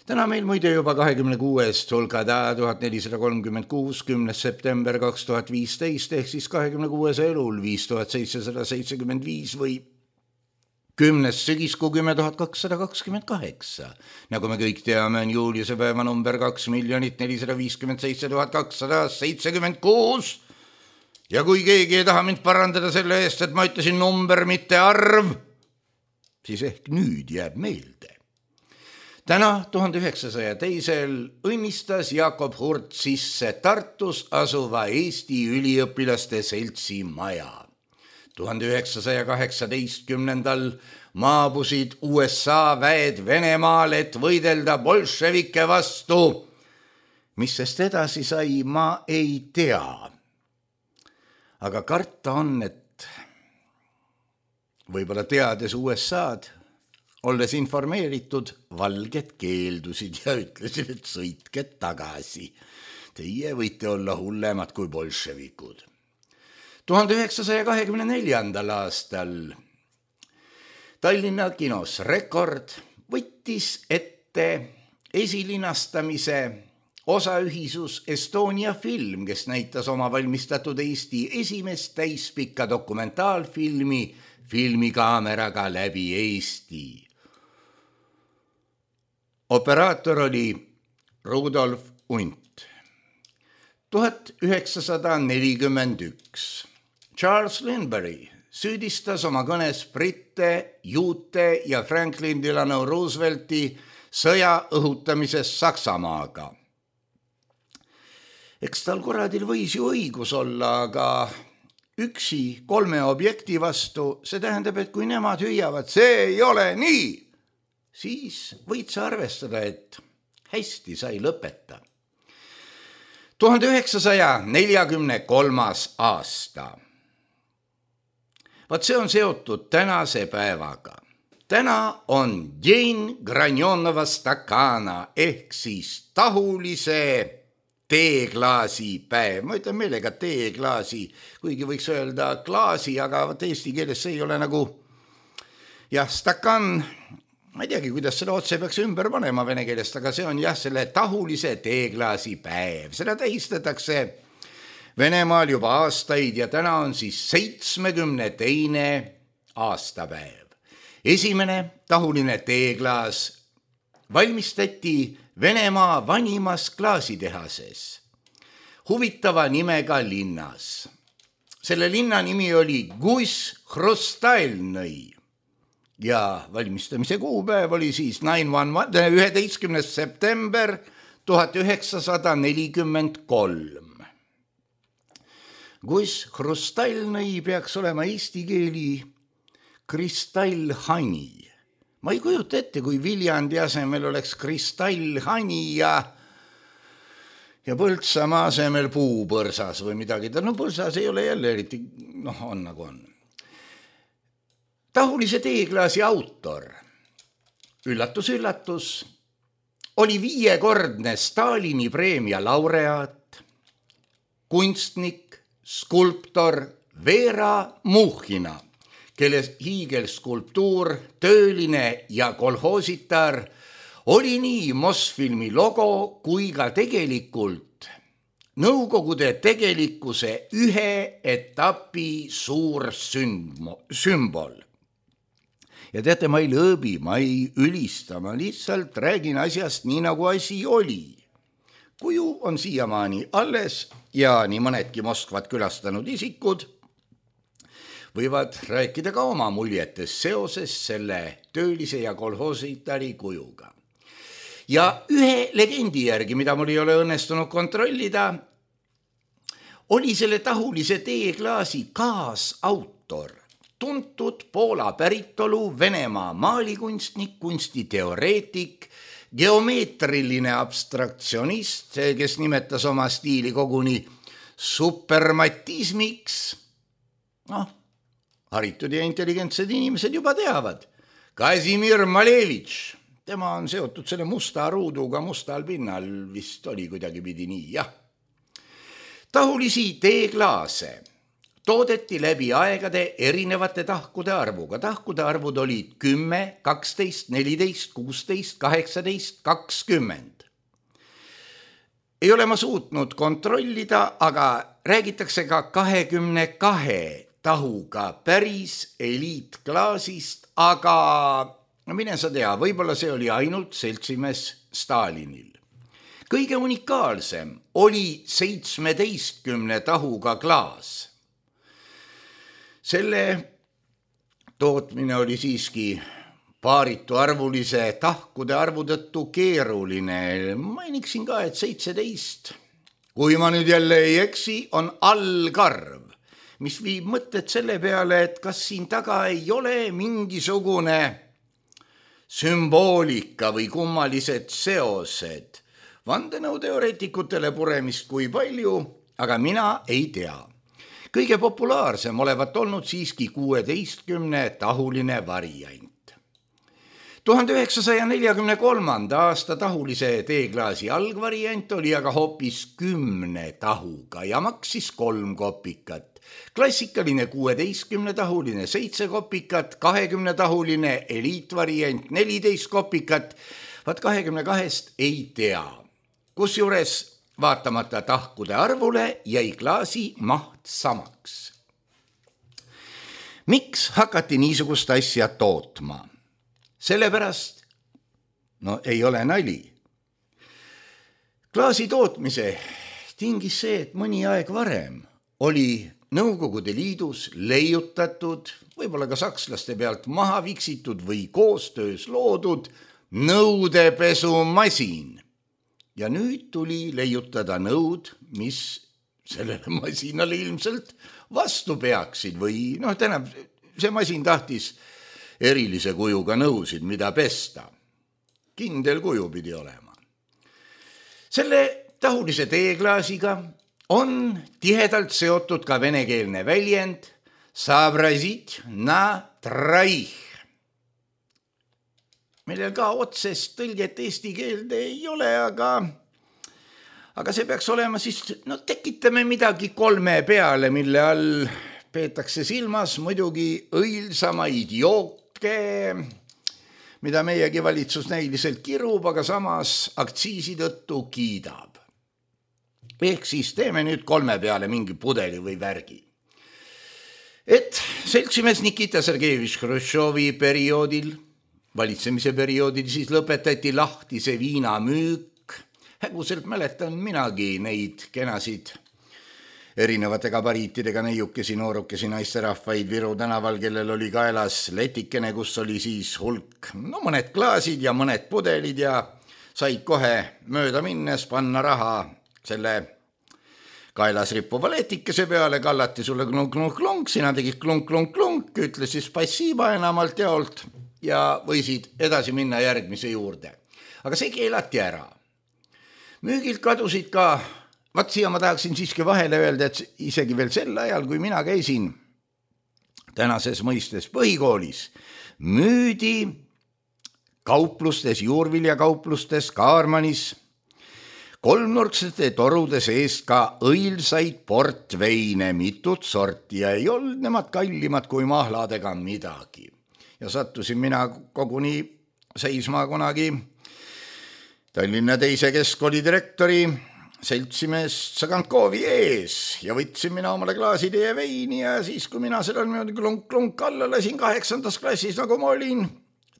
Täna meil muide juba 26. Hulgada 1436, 10. september 2015 ehk siis 26. elul 5775 või 10. sügiskuu 10.228. Nagu me kõik teame, on juuliuse päeva number 2 457 276. Ja kui keegi ei taha mind parandada selle eest, et ma ütlesin number, mitte arv, siis ehk nüüd jääb meelde. Täna 1902. õnnistas Jakob Hurt sisse Tartus asuva Eesti üliõpilaste seltsi maja. 1918. maabusid USA väed Venemaal, et võidelda bolševike vastu. Mis sest edasi sai, ma ei tea. Aga karta on, et võib-olla teades USA-d, olles informeeritud, valged keeldusid ja ütlesid, et sõitke tagasi. Teie võite olla hullemad kui bolševikud. 1924. aastal Tallinna kinos Rekord võttis ette esilinastamise osaühisus Estonia Film, kes näitas oma valmistatud Eesti esimest täispikka dokumentaalfilmi filmikaameraga läbi Eesti. Operaator oli Rudolf Unt. 1941. Charles Lindbergh süüdistas oma kõnes britte, juute ja Franklin Delano Roosevelti sõja õhutamises Saksamaaga. Eks tal kuradil võis ju õigus olla, aga üksi 3 objekti vastu, see tähendab, et kui nemad hüüavad, see ei ole nii, siis võid sa arvestada, et hästi sai lõpeta. 1943. aasta. Vaat see on seotud tänase päevaga. Täna on Dень Granjonova Stakana ehk siis tahulise teeklaasi päev. Ma ütlen meelega teeklaasi, kuigi võiks öelda klaasi, aga eesti keeles see ei ole nagu stakan. Ma ei teagi, kuidas seda otse peaks ümber panema vene keelest, aga see on selle tahulise teeklaasi päev. Seda tähistatakse Venemaal juba aastaid ja täna on siis 72. aastapäev. Esimene tahuline teeklaas valmistati Venemaa vanimas klaasitehases, huvitava nimega linnas. Selle linna nimi oli Guss-Hrustalnõi ja valmistamise kuupäev oli siis 11. september 1943. Guss-Hrustalnõi peaks olema eesti keeli kristallhani. Ma ei kujuta ette, kui Viljandi asemel oleks kristallhani ja Põltsamaa asemel puupõrsas või midagi. No põrsas ei ole jälle eriti, on nagu on. Tahulise teeklaasi autor, üllatus, üllatus, oli 5-kordne Stalini preemia laureaat, kunstnik, skulptor Vera Muhhina, kelle hiigelskulptuur, tööline ja kolhoositar oli nii Mosfilmi logo kui ka tegelikult Nõukogude tegelikkuse ühe etapi suur sümbol. Ja teate, ma ei lõõbi, ma ei ülista, ma lihtsalt räägin asjast nii, nagu asi oli. Kuju on siiamaani alles ja nii mõnedki Moskvat külastanud isikud võivad rääkida ka oma muljetes seoses selle töölise ja kolhoositari kujuga. Ja ühe legendi järgi, mida mul ei ole õnnestunud kontrollida, oli selle tahulise teeklaasi kaasautor, tuntud Poola päritolu Venemaa maalikunstnik, kunstiteoreetik, geomeetriline abstraktsionist, kes nimetas oma stiili koguni supermatismiks. Haritud ja intelligentsed inimesed juba teavad. Kazimir Malevitš, tema on seotud selle musta ruuduga mustal pinnal, vist oli kuidagi pidi nii, jah. Tahulisi teeklaase toodeti läbi aegade erinevate tahkude arvuga. Tahkude arvud olid 10, 12, 14, 16, 18, 20. Ei ole ma suutnud kontrollida, aga räägitakse ka 22 tahuga päris eliitklaasist, aga mine sa tea, võib-olla see oli ainult seltsimees Stalinil. Kõige unikaalsem oli 17 tahuga klaas. Selle tootmine oli siiski paaritu arvulise tahkude arvu tõttu keeruline. Mainiksin ka, et 17, kui ma nüüd jälle ei eksi, on allkarv, mis viib mõtted selle peale, et kas siin taga ei ole mingisugune sümboolika või kummalised seosed. Vandenõuteoreetikutele puremist kui palju, aga mina ei tea. Kõige populaarsem olevat olnud siiski 16 tahuline variant. 1943. aasta tahulise teeklaasi algvariant oli aga hoopis 10 tahuga ja maksis 3 kopikat. Klassikaline 16 tahuline 7 kopikat, 20 tahuline eliitvariant 14 kopikat, vaat 22 ei tea. Kusjuures vaatamata tahkude arvule jäi klaasi maht samaks. Miks hakati niisugust asja tootma? Sellepärast, ei ole nali. Klaasi tootmise tingis see, et mõni aeg varem oli Nõukogude Liidus leiutatud, võib-olla ka sakslaste pealt maha viksitud või koostöös loodud nõudepesumasin. Ja nüüd tuli leiutada nõud, mis sellele masinale ilmselt vastu peaksid või tähendab, see masin tahtis erilise kujuga nõusid, mida pesta. Kindel kuju pidi olema. Selle tahulise teeklaasiga on tihedalt seotud ka venekeelne väljend soobrazit na tроих, millel ka otsest tõlget eesti keelde ei ole, aga see peaks olema siis, tekitame midagi 3 peale, mille all peetakse silmas muidugi õilsama idiootke, mida meiegi valitsus näiliselt kirub, aga samas aktsiisi tõttu kiidab. Ehk siis teeme nüüd 3 peale mingi pudeli või värgi. Et seltsimees Nikita Sergejevitš Hruštšovi perioodil, valitsemise perioodil siis lõpetati lahtise viina müük. Häguselt mäletan minagi neid kenasid erinevate gabariitidega neiukesi, noorukesi, naisterahvaid Viru tänaval, kellel oli kaelas letikene, kus oli siis hulk, mõned klaasid ja mõned pudelid ja said kohe mööda minnes panna raha selle kaelas rippuva letikese peale, kallati sulle klunk-klunk-klunk, sina tegid klunk-klunk-klunk, ütles siis passiiba enamalt jaolt ja võisid edasi minna järgmise juurde. Aga see keelati ära. Müügilt kadusid ka, siia ma tahaksin siiski vahele öelda, et isegi veel sel ajal, kui mina käisin tänases mõistes põhikoolis, müüdi kauplustes, juurviljakauplustes, Kaarmanis, kolmnurksete torude sees ka õilsaid portveine, mitut sorti ja ei olnud nemad kallimad kui mahladega midagi. Ja sattusin mina koguni seisma kunagi Tallinna 2. keskkooli direktori seltsimees Tsagantkovi ees ja võtsin mina omale klaasitäie veini ja siis, kui mina sellel klunk-klunk alla lasin 8. klassis, nagu ma olin,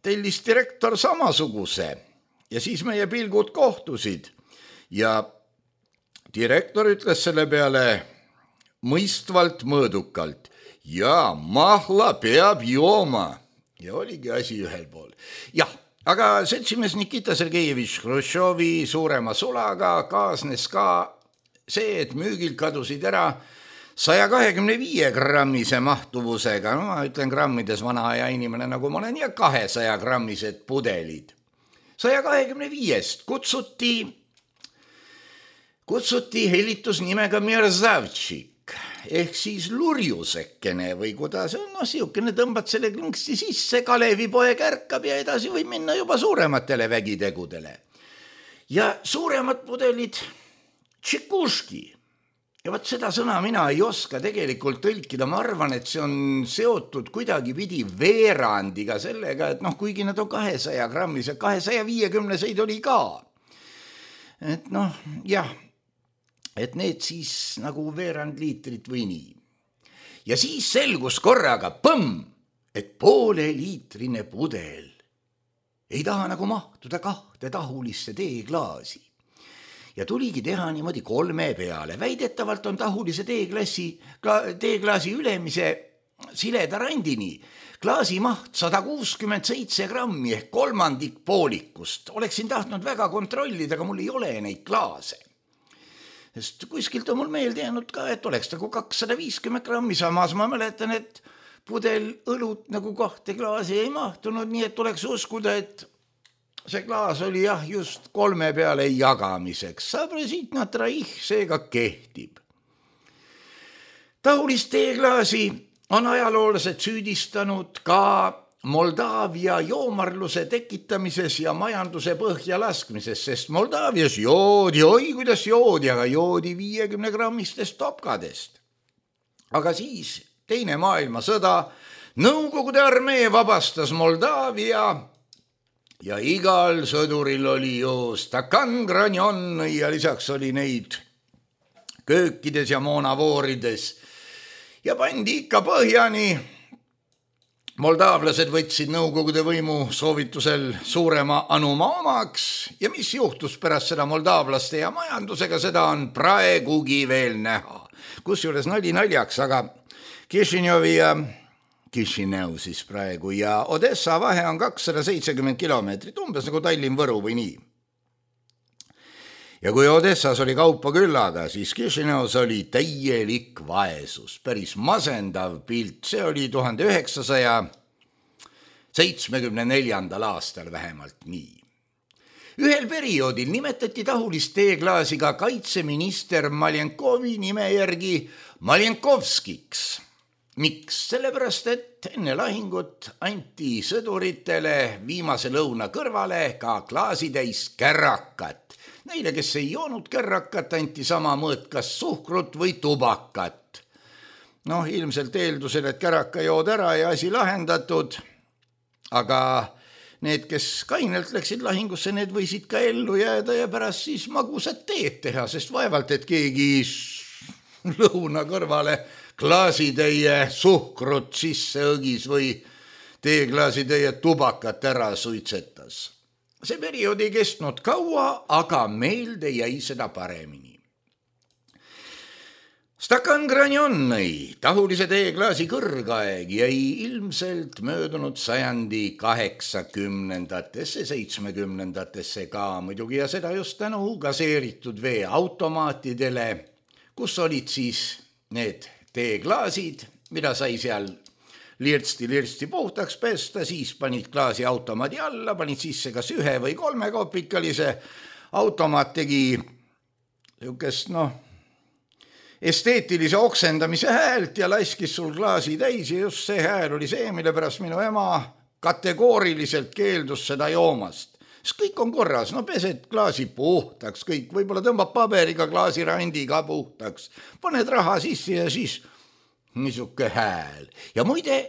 tellis direktor samasuguse ja siis meie pilgud kohtusid. Ja direktor ütles selle peale mõistvalt mõõdukalt, ja mahla peab jooma. Ja oligi asi ühel pool. Jah, aga seltsimees Nikita Sergejevitš Hruštšovi suurema sulaga kaasnes ka see, et müügilt kadusid ära 125 grammise mahtuvusega, ma ütlen grammides vana aja inimene, nagu ma olen, ja 200 grammised pudelid. 125 kutsuti helitusnimega Merzavtšik, ehk siis lurjusekene või kuidas on, siukene tõmbad selle klõnksti sisse, Kalevipoeg ärkab ja edasi võib minna juba suurematele vägitegudele. Ja suuremad pudelid tšikuški. Ja võt seda sõna mina ei oska tegelikult tõlkida, ma arvan, et see on seotud kuidagi pidi veerandiga sellega, et kuigi nad on 200 grammised, 250-seid oli ka. Et jah, et need siis nagu veerand liitrit või nii. Ja siis selgus korraga, et 0,5 liitrine pudel ei taha nagu mahtuda 2 tahulisse teeklaasi. Ja tuligi teha niimoodi 3 peale. Väidetavalt on tahulise teeklaasi ülemise sileda randini klaasi maht 167 grammi ehk kolmandik poolikust. Oleksin tahtnud väga kontrollida, aga mul ei ole neid klaase. Sest kuskilt on mul meelde jäänud ka, et oleks nagu 250 grammi, samas ma mäletan, et pudel õlut nagu 2 klaasi ei mahtunud, nii et oleks uskuda, et see klaas oli jah just 3 peale jagamiseks. Soobrazit na tроих, seega kehtib. Tahulist teeklaasi on ajaloolased süüdistanud ka Moldaavia joomarluse tekitamises ja majanduse põhja laskmises, sest Moldaavias joodi, kuidas joodi, aga joodi 50 grammistest topkadest. Aga siis Teine maailmasõda, Nõukogude armee vabastas Moldaavia ja igal sõduril oli ju stakan granjon ja lisaks oli neid köökides ja moonavoorides ja pandi ikka põhjani Moldaavlased võtsid Nõukogude võimu soovitusel suurema anuma omaks ja mis juhtus pärast seda moldaavlaste ja majandusega, seda on praegugi veel näha. Kusjuures nali naljaks, aga Kišineu siis praegu ja Odessa vahe on 270 kilomeetrit, umbes nagu Tallinn-Võru või nii. Ja kui Odessas oli kaupa küllaga, siis Kišineus oli täielik vaesus, päris masendav pilt, see oli 1974. aastal vähemalt nii. Ühel perioodil nimetati tahulist teeklaasi ka kaitseminister Maljenkovi nime järgi Maljenkovskiks. Miks? Sellepärast, et enne lahingut anti sõduritele viimase lõuna kõrvale ka klaasitäis kärrakat. Neile, kes ei joonud kärrakat, anti sama mõõt kas suhkrut või tubakat. Ilmselt eeldusel, et kärraka jood ära ja asi lahendatud, aga need, kes kainelt läksid lahingusse, need võisid ka ellu jääda ja pärast siis magusat teed teha, sest vaevalt, et keegi lõuna kõrvale klaasitäie suhkrut sisse õgis või teeklaasitäie tubakat ära suitsetas. See periood ei kestnud kaua, aga meelde jäi seda paremini. Stakan Granjonnoi, tahulise teeklaasi kõrgaeg, jäi ilmselt möödunud sajandi 80-ndatesse, 70-ndatesse ka muidugi ja seda just tänu gaseeritud vee automaatidele, kus olid siis need teeklaasid, mida sai seal lirtsti puhtaks pesta, siis panid klaasi automaadi alla, panid sisse kas 1 või 3 kopikalise. Automaat tegi niisugust esteetilise oksendamise häält ja laskis sul klaasi täis ja just see hääl oli see, mille pärast minu ema kategooriliselt keeldus seda joomast. Sest kõik on korras, pesed klaasi puhtaks, kõik, võib-olla tõmbab paberiga klaasirandiga puhtaks, paned raha sisse ja siis niisuke hääl. Ja muide,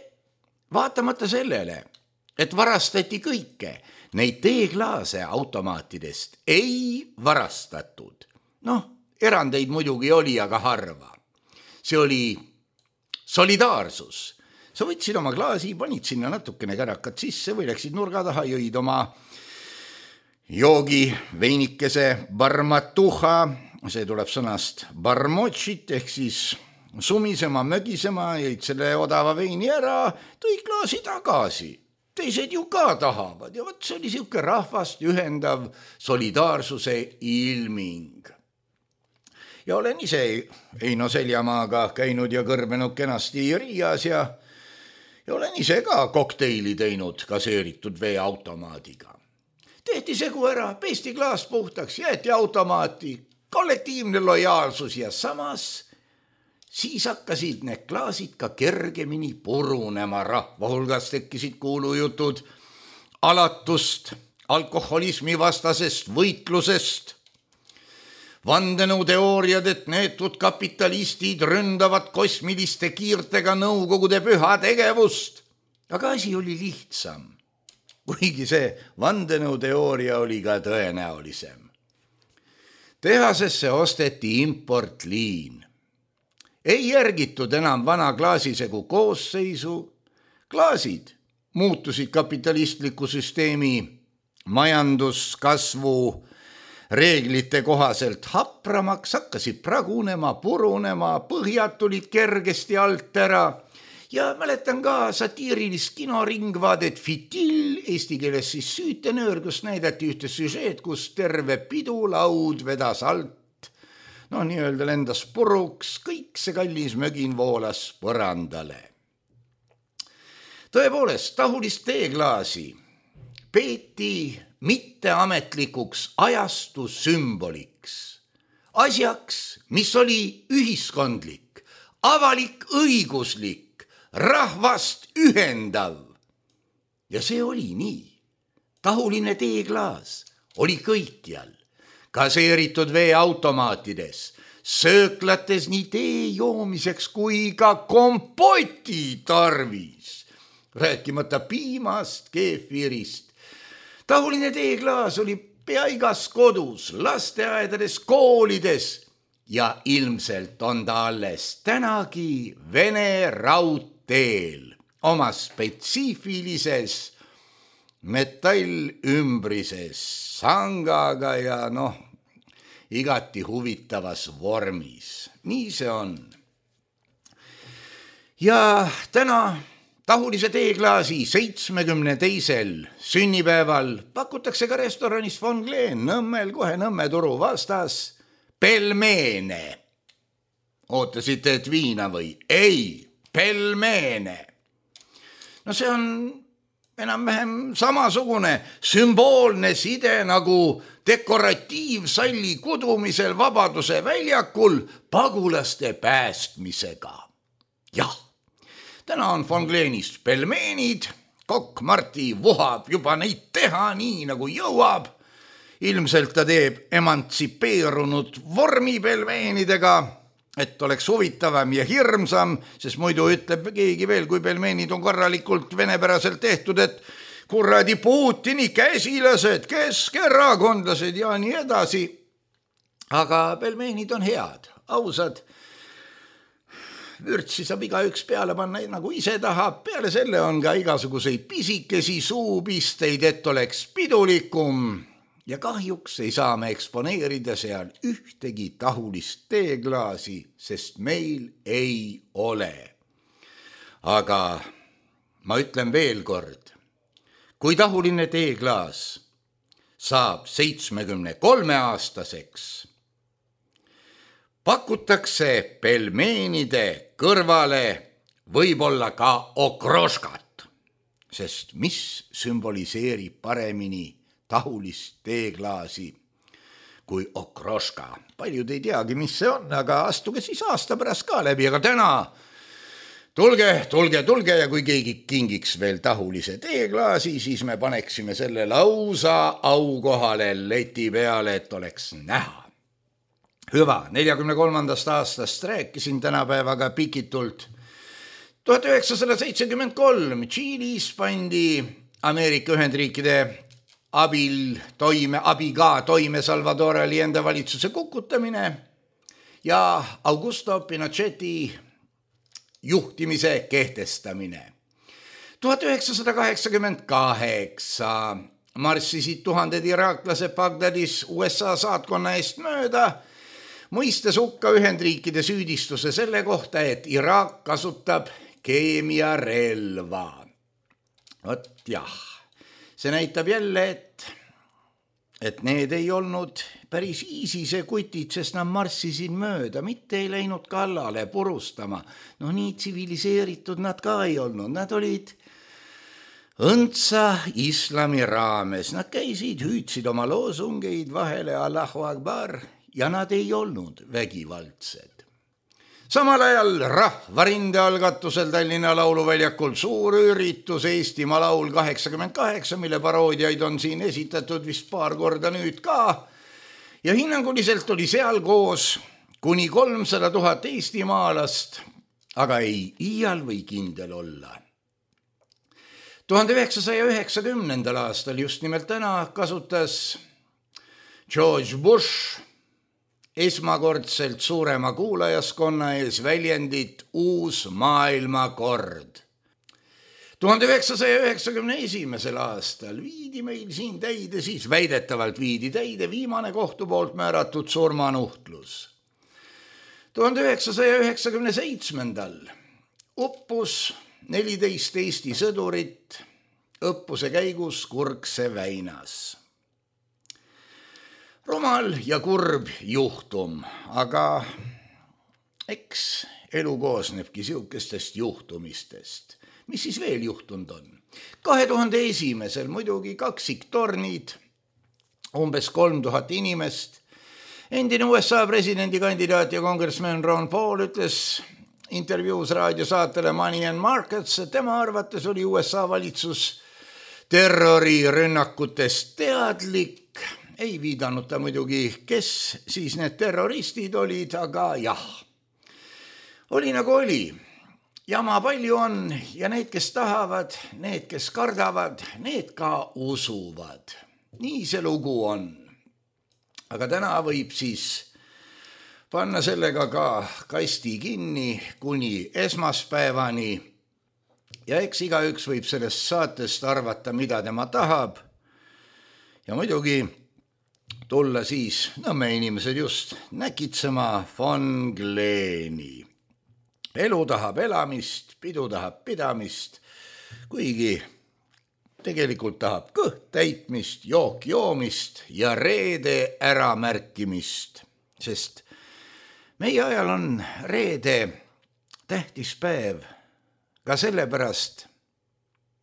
vaatamata sellele, et varastati kõike, neid teeklaase automaatidest ei varastatud. Erandeid muidugi oli, aga harva. See oli solidaarsus. Sa võtsid oma klaasi, panid sinna natukene kärakat sisse või läksid nurga taha, jõid oma joogi veinikese barmatuha, see tuleb sõnast barmotšit ehk siis sumisema, mögisema, jõid selle odava veini ära, tõi klaasi tagasi. Teised ju ka tahavad ja võt see oli siuke rahvast ühendav solidaarsuse ilming. Ja olen ise Eino Seljamaaga käinud ja kõrbenud kenasti Riias ja olen ise ka kokteili teinud gaseeritud vee automaadiga. Tehti segu ära, pesti klaas puhtaks, jäeti automaati, kollektiivne lojaalsus ja samas siis hakkasid need klaasid ka kergemini purunema. Rahva hulgas tekkisid kuulujutud alatust alkoholismi vastasest võitlusest, vandenõuteooriad, et neetud kapitalistid ründavad kosmiliste kiirtega Nõukogude püha tegevust. Aga asi oli lihtsam, kuigi see vandenõuteooria oli ka tõenäolisem. Tehasesse osteti importliin. Ei järgitud enam vana klaasisegu koosseisu. Klaasid muutusid kapitalistliku süsteemi majanduskasvu reeglite kohaselt hapramaks, hakkasid pragunema, purunema, põhjad tulid kergesti alt ära ja mäletan ka satiirilist kinoringvaadet Fitil, eesti keeles siis Süütenöör, kus näidati ühte süžeed, kus terve pidulaud vedas alt, nii-öelda lendas puruks, kõik see kallis mögin voolas põrandale. Tõepoolest, tahulist teeklaasi peeti mitteametlikuks ajastu sümboliks, asjaks, mis oli ühiskondlik, avalik õiguslik, rahvast ühendav. Ja see oli nii. Tahuline teeklaas oli kõikjal, gaseeritud veeautomaatides, sööklates nii tee joomiseks kui ka kompoti tarvis, rääkimata piimast, keefirist. Tahuline teeklaas oli pea igas kodus, lasteaedades, koolides ja ilmselt on ta alles tänagi Vene raudteel oma spetsiifilises metallümbrises sangaga ja igati huvitavas vormis. Nii see on. Ja täna Tahulise teeklaasi 72. sünnipäeval pakutakse ka restoranis Von Glen Nõmmel, kohe Nõmme turu vastas, pelmeene. Ootasite, et viina või? Ei, pelmeene. No see on enam-vähem samasugune sümboolne side nagu dekoratiivsalli kudumisel Vabaduse väljakul pagulaste päästmisega. Jah, täna on Von Glenist pelmeenid, kokk Marti vuhab juba neid teha nii nagu jõuab. Ilmselt ta teeb emantsipeerunud vormi pelmeenidega, et oleks huvitavam ja hirmsam, sest muidu ütleb keegi veel, kui pelmeenid on korralikult venepäraselt tehtud, et kuradi Putini käsilased, keskerakondlased ja nii edasi. Aga pelmeenid on head, ausad. Vürtsi saab igaüks peale panna nagu ise tahab. Peale selle on ka igasuguseid pisikesi suupisteid, et oleks pidulikum. Ja kahjuks ei saa me eksponeerida seal ühtegi tahulist teeklaasi, sest meil ei ole. Aga ma ütlen veel kord, kui tahuline teeklaas saab 73-aastaseks, pakutakse pelmeenide kõrvale võib-olla ka okroškat, sest mis sümboliseerib paremini tahulist teeklaasi kui okroška. Paljud ei teagi, mis see on, aga astuge siis aasta pärast ka läbi, aga täna tulge ja kui keegi kingiks veel tahulise teeklaasi, siis me paneksime selle lausa aukohale leti peale, et oleks näha. Hüva, 43. aastast rääkisin tänapäevaga pikitult. 1973 Tšiilis pandi Ameerika Ühendriikide abiga toime Salvador Allende valitsuse kukutamine ja Augusto Pinocheti juhtimise kehtestamine. 1988 marssisid tuhanded iraaklased Bagdadis USA saatkonna eest mööda, mõistes hukka Ühendriikide süüdistuse selle kohta, et Iraak kasutab keemiarelva. Vot jah, see näitab jälle, et need ei olnud päris ISISe kutid, sest nad marssisid mööda, mitte ei läinud kallale purustama. No nii tsiviliseeritud nad ka ei olnud, nad olid õndsa islami raames. Nad käisid, hüüdsid oma loosungeid vahele Allahu Akbar ja nad ei olnud vägivaldsed. Samal ajal rahvarinde algatusel Tallinna Lauluväljakul suur üritus Eestimaa laul 88, mille paroodiaid on siin esitatud vist paar korda nüüd ka. Ja hinnanguliselt oli seal koos kuni 300 000 eestimaalast, aga ei iial või kindel olla. 1990. aastal just nimelt täna kasutas George Bush esmakordselt suurema kuulajaskonna ees väljendit uus maailmakord. 1991. aastal viidi meil siin täide, siis väidetavalt viidi täide viimane kohtu poolt määratud surmanuhtlus. 1997. uppus 14 Eesti sõdurit õppuse käigus Kurkse väinas. Rumal ja kurb juhtum, aga eks elu koosnebki siukestest juhtumistest. Mis siis veel juhtunud on? 2001. muidugi kaksiktornid, umbes 3000 inimest. Endine USA presidendikandidaat ja kongressman Ron Paul ütles intervjuus raadiosaatele Money and Markets, et tema arvates oli USA valitsus terrorirünnakutest teadlik. Ei viidanud ta muidugi, kes siis need terroristid olid, aga jah, oli nagu oli. Jama palju on ja need, kes tahavad, need, kes kardavad, need ka usuvad. Nii see lugu on. Aga täna võib siis panna sellega ka kasti kinni kuni esmaspäevani ja eks igaüks võib sellest saatest arvata, mida tema tahab. Ja muidugi tulla siis, me inimesed just, näkitsema von Gleeni. Elu tahab elamist, pidu tahab pidamist, kuigi tegelikult tahab kõht täitmist, jook joomist ja reede äramärkimist, sest meie ajal on reede tähtis päev ka sellepärast,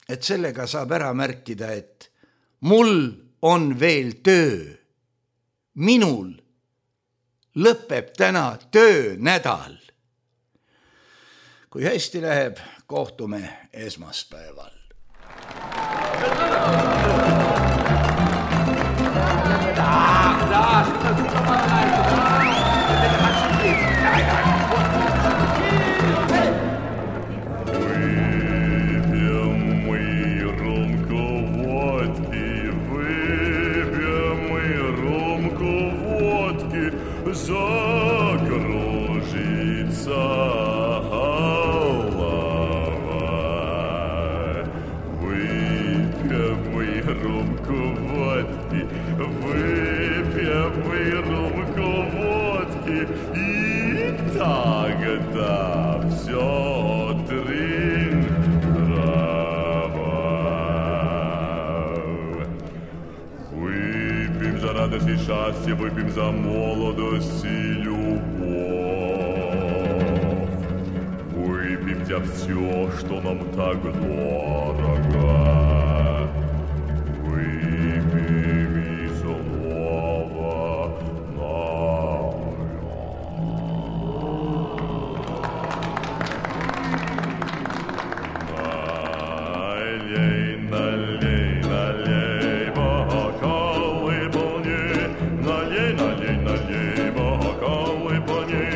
et sellega saab ära märkida, et mul on veel töö. Minul lõpeb täna töönädal. Kui hästi läheb, kohtume esmaspäeval. И счастье, выпьем за молодость и любовь. Выпьем за все, что нам так дорого. Выпьем и снова налей, налей, налей, бокалы полни. Налей, бокалы полни.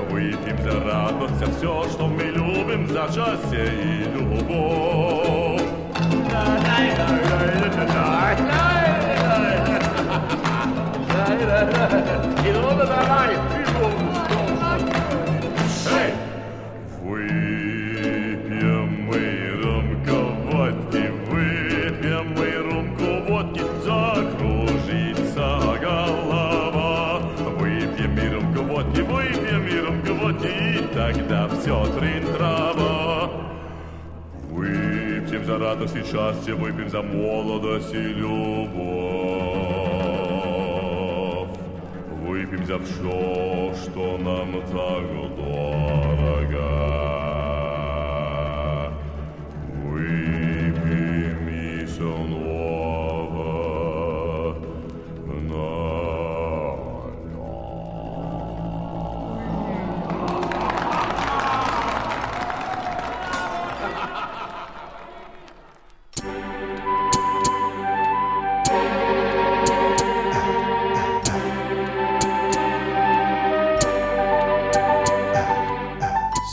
Выпьем за радость, за все, что мы любим, за счастье и любовь. Выпьем мы рюмку водки, выпьем мы рюмку водки, закружится голова. Выпьем мы рюмку водки, и тогда все трин-трава. Выпьем за радость и счастье, выпьем за молодость и любовь. Выпьем за все, что нам так дорого. Выпьем и снова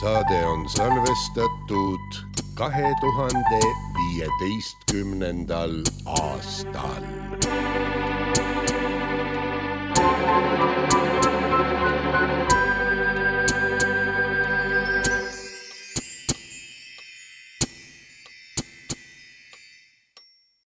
Saade on salvestatud 2015. aastal.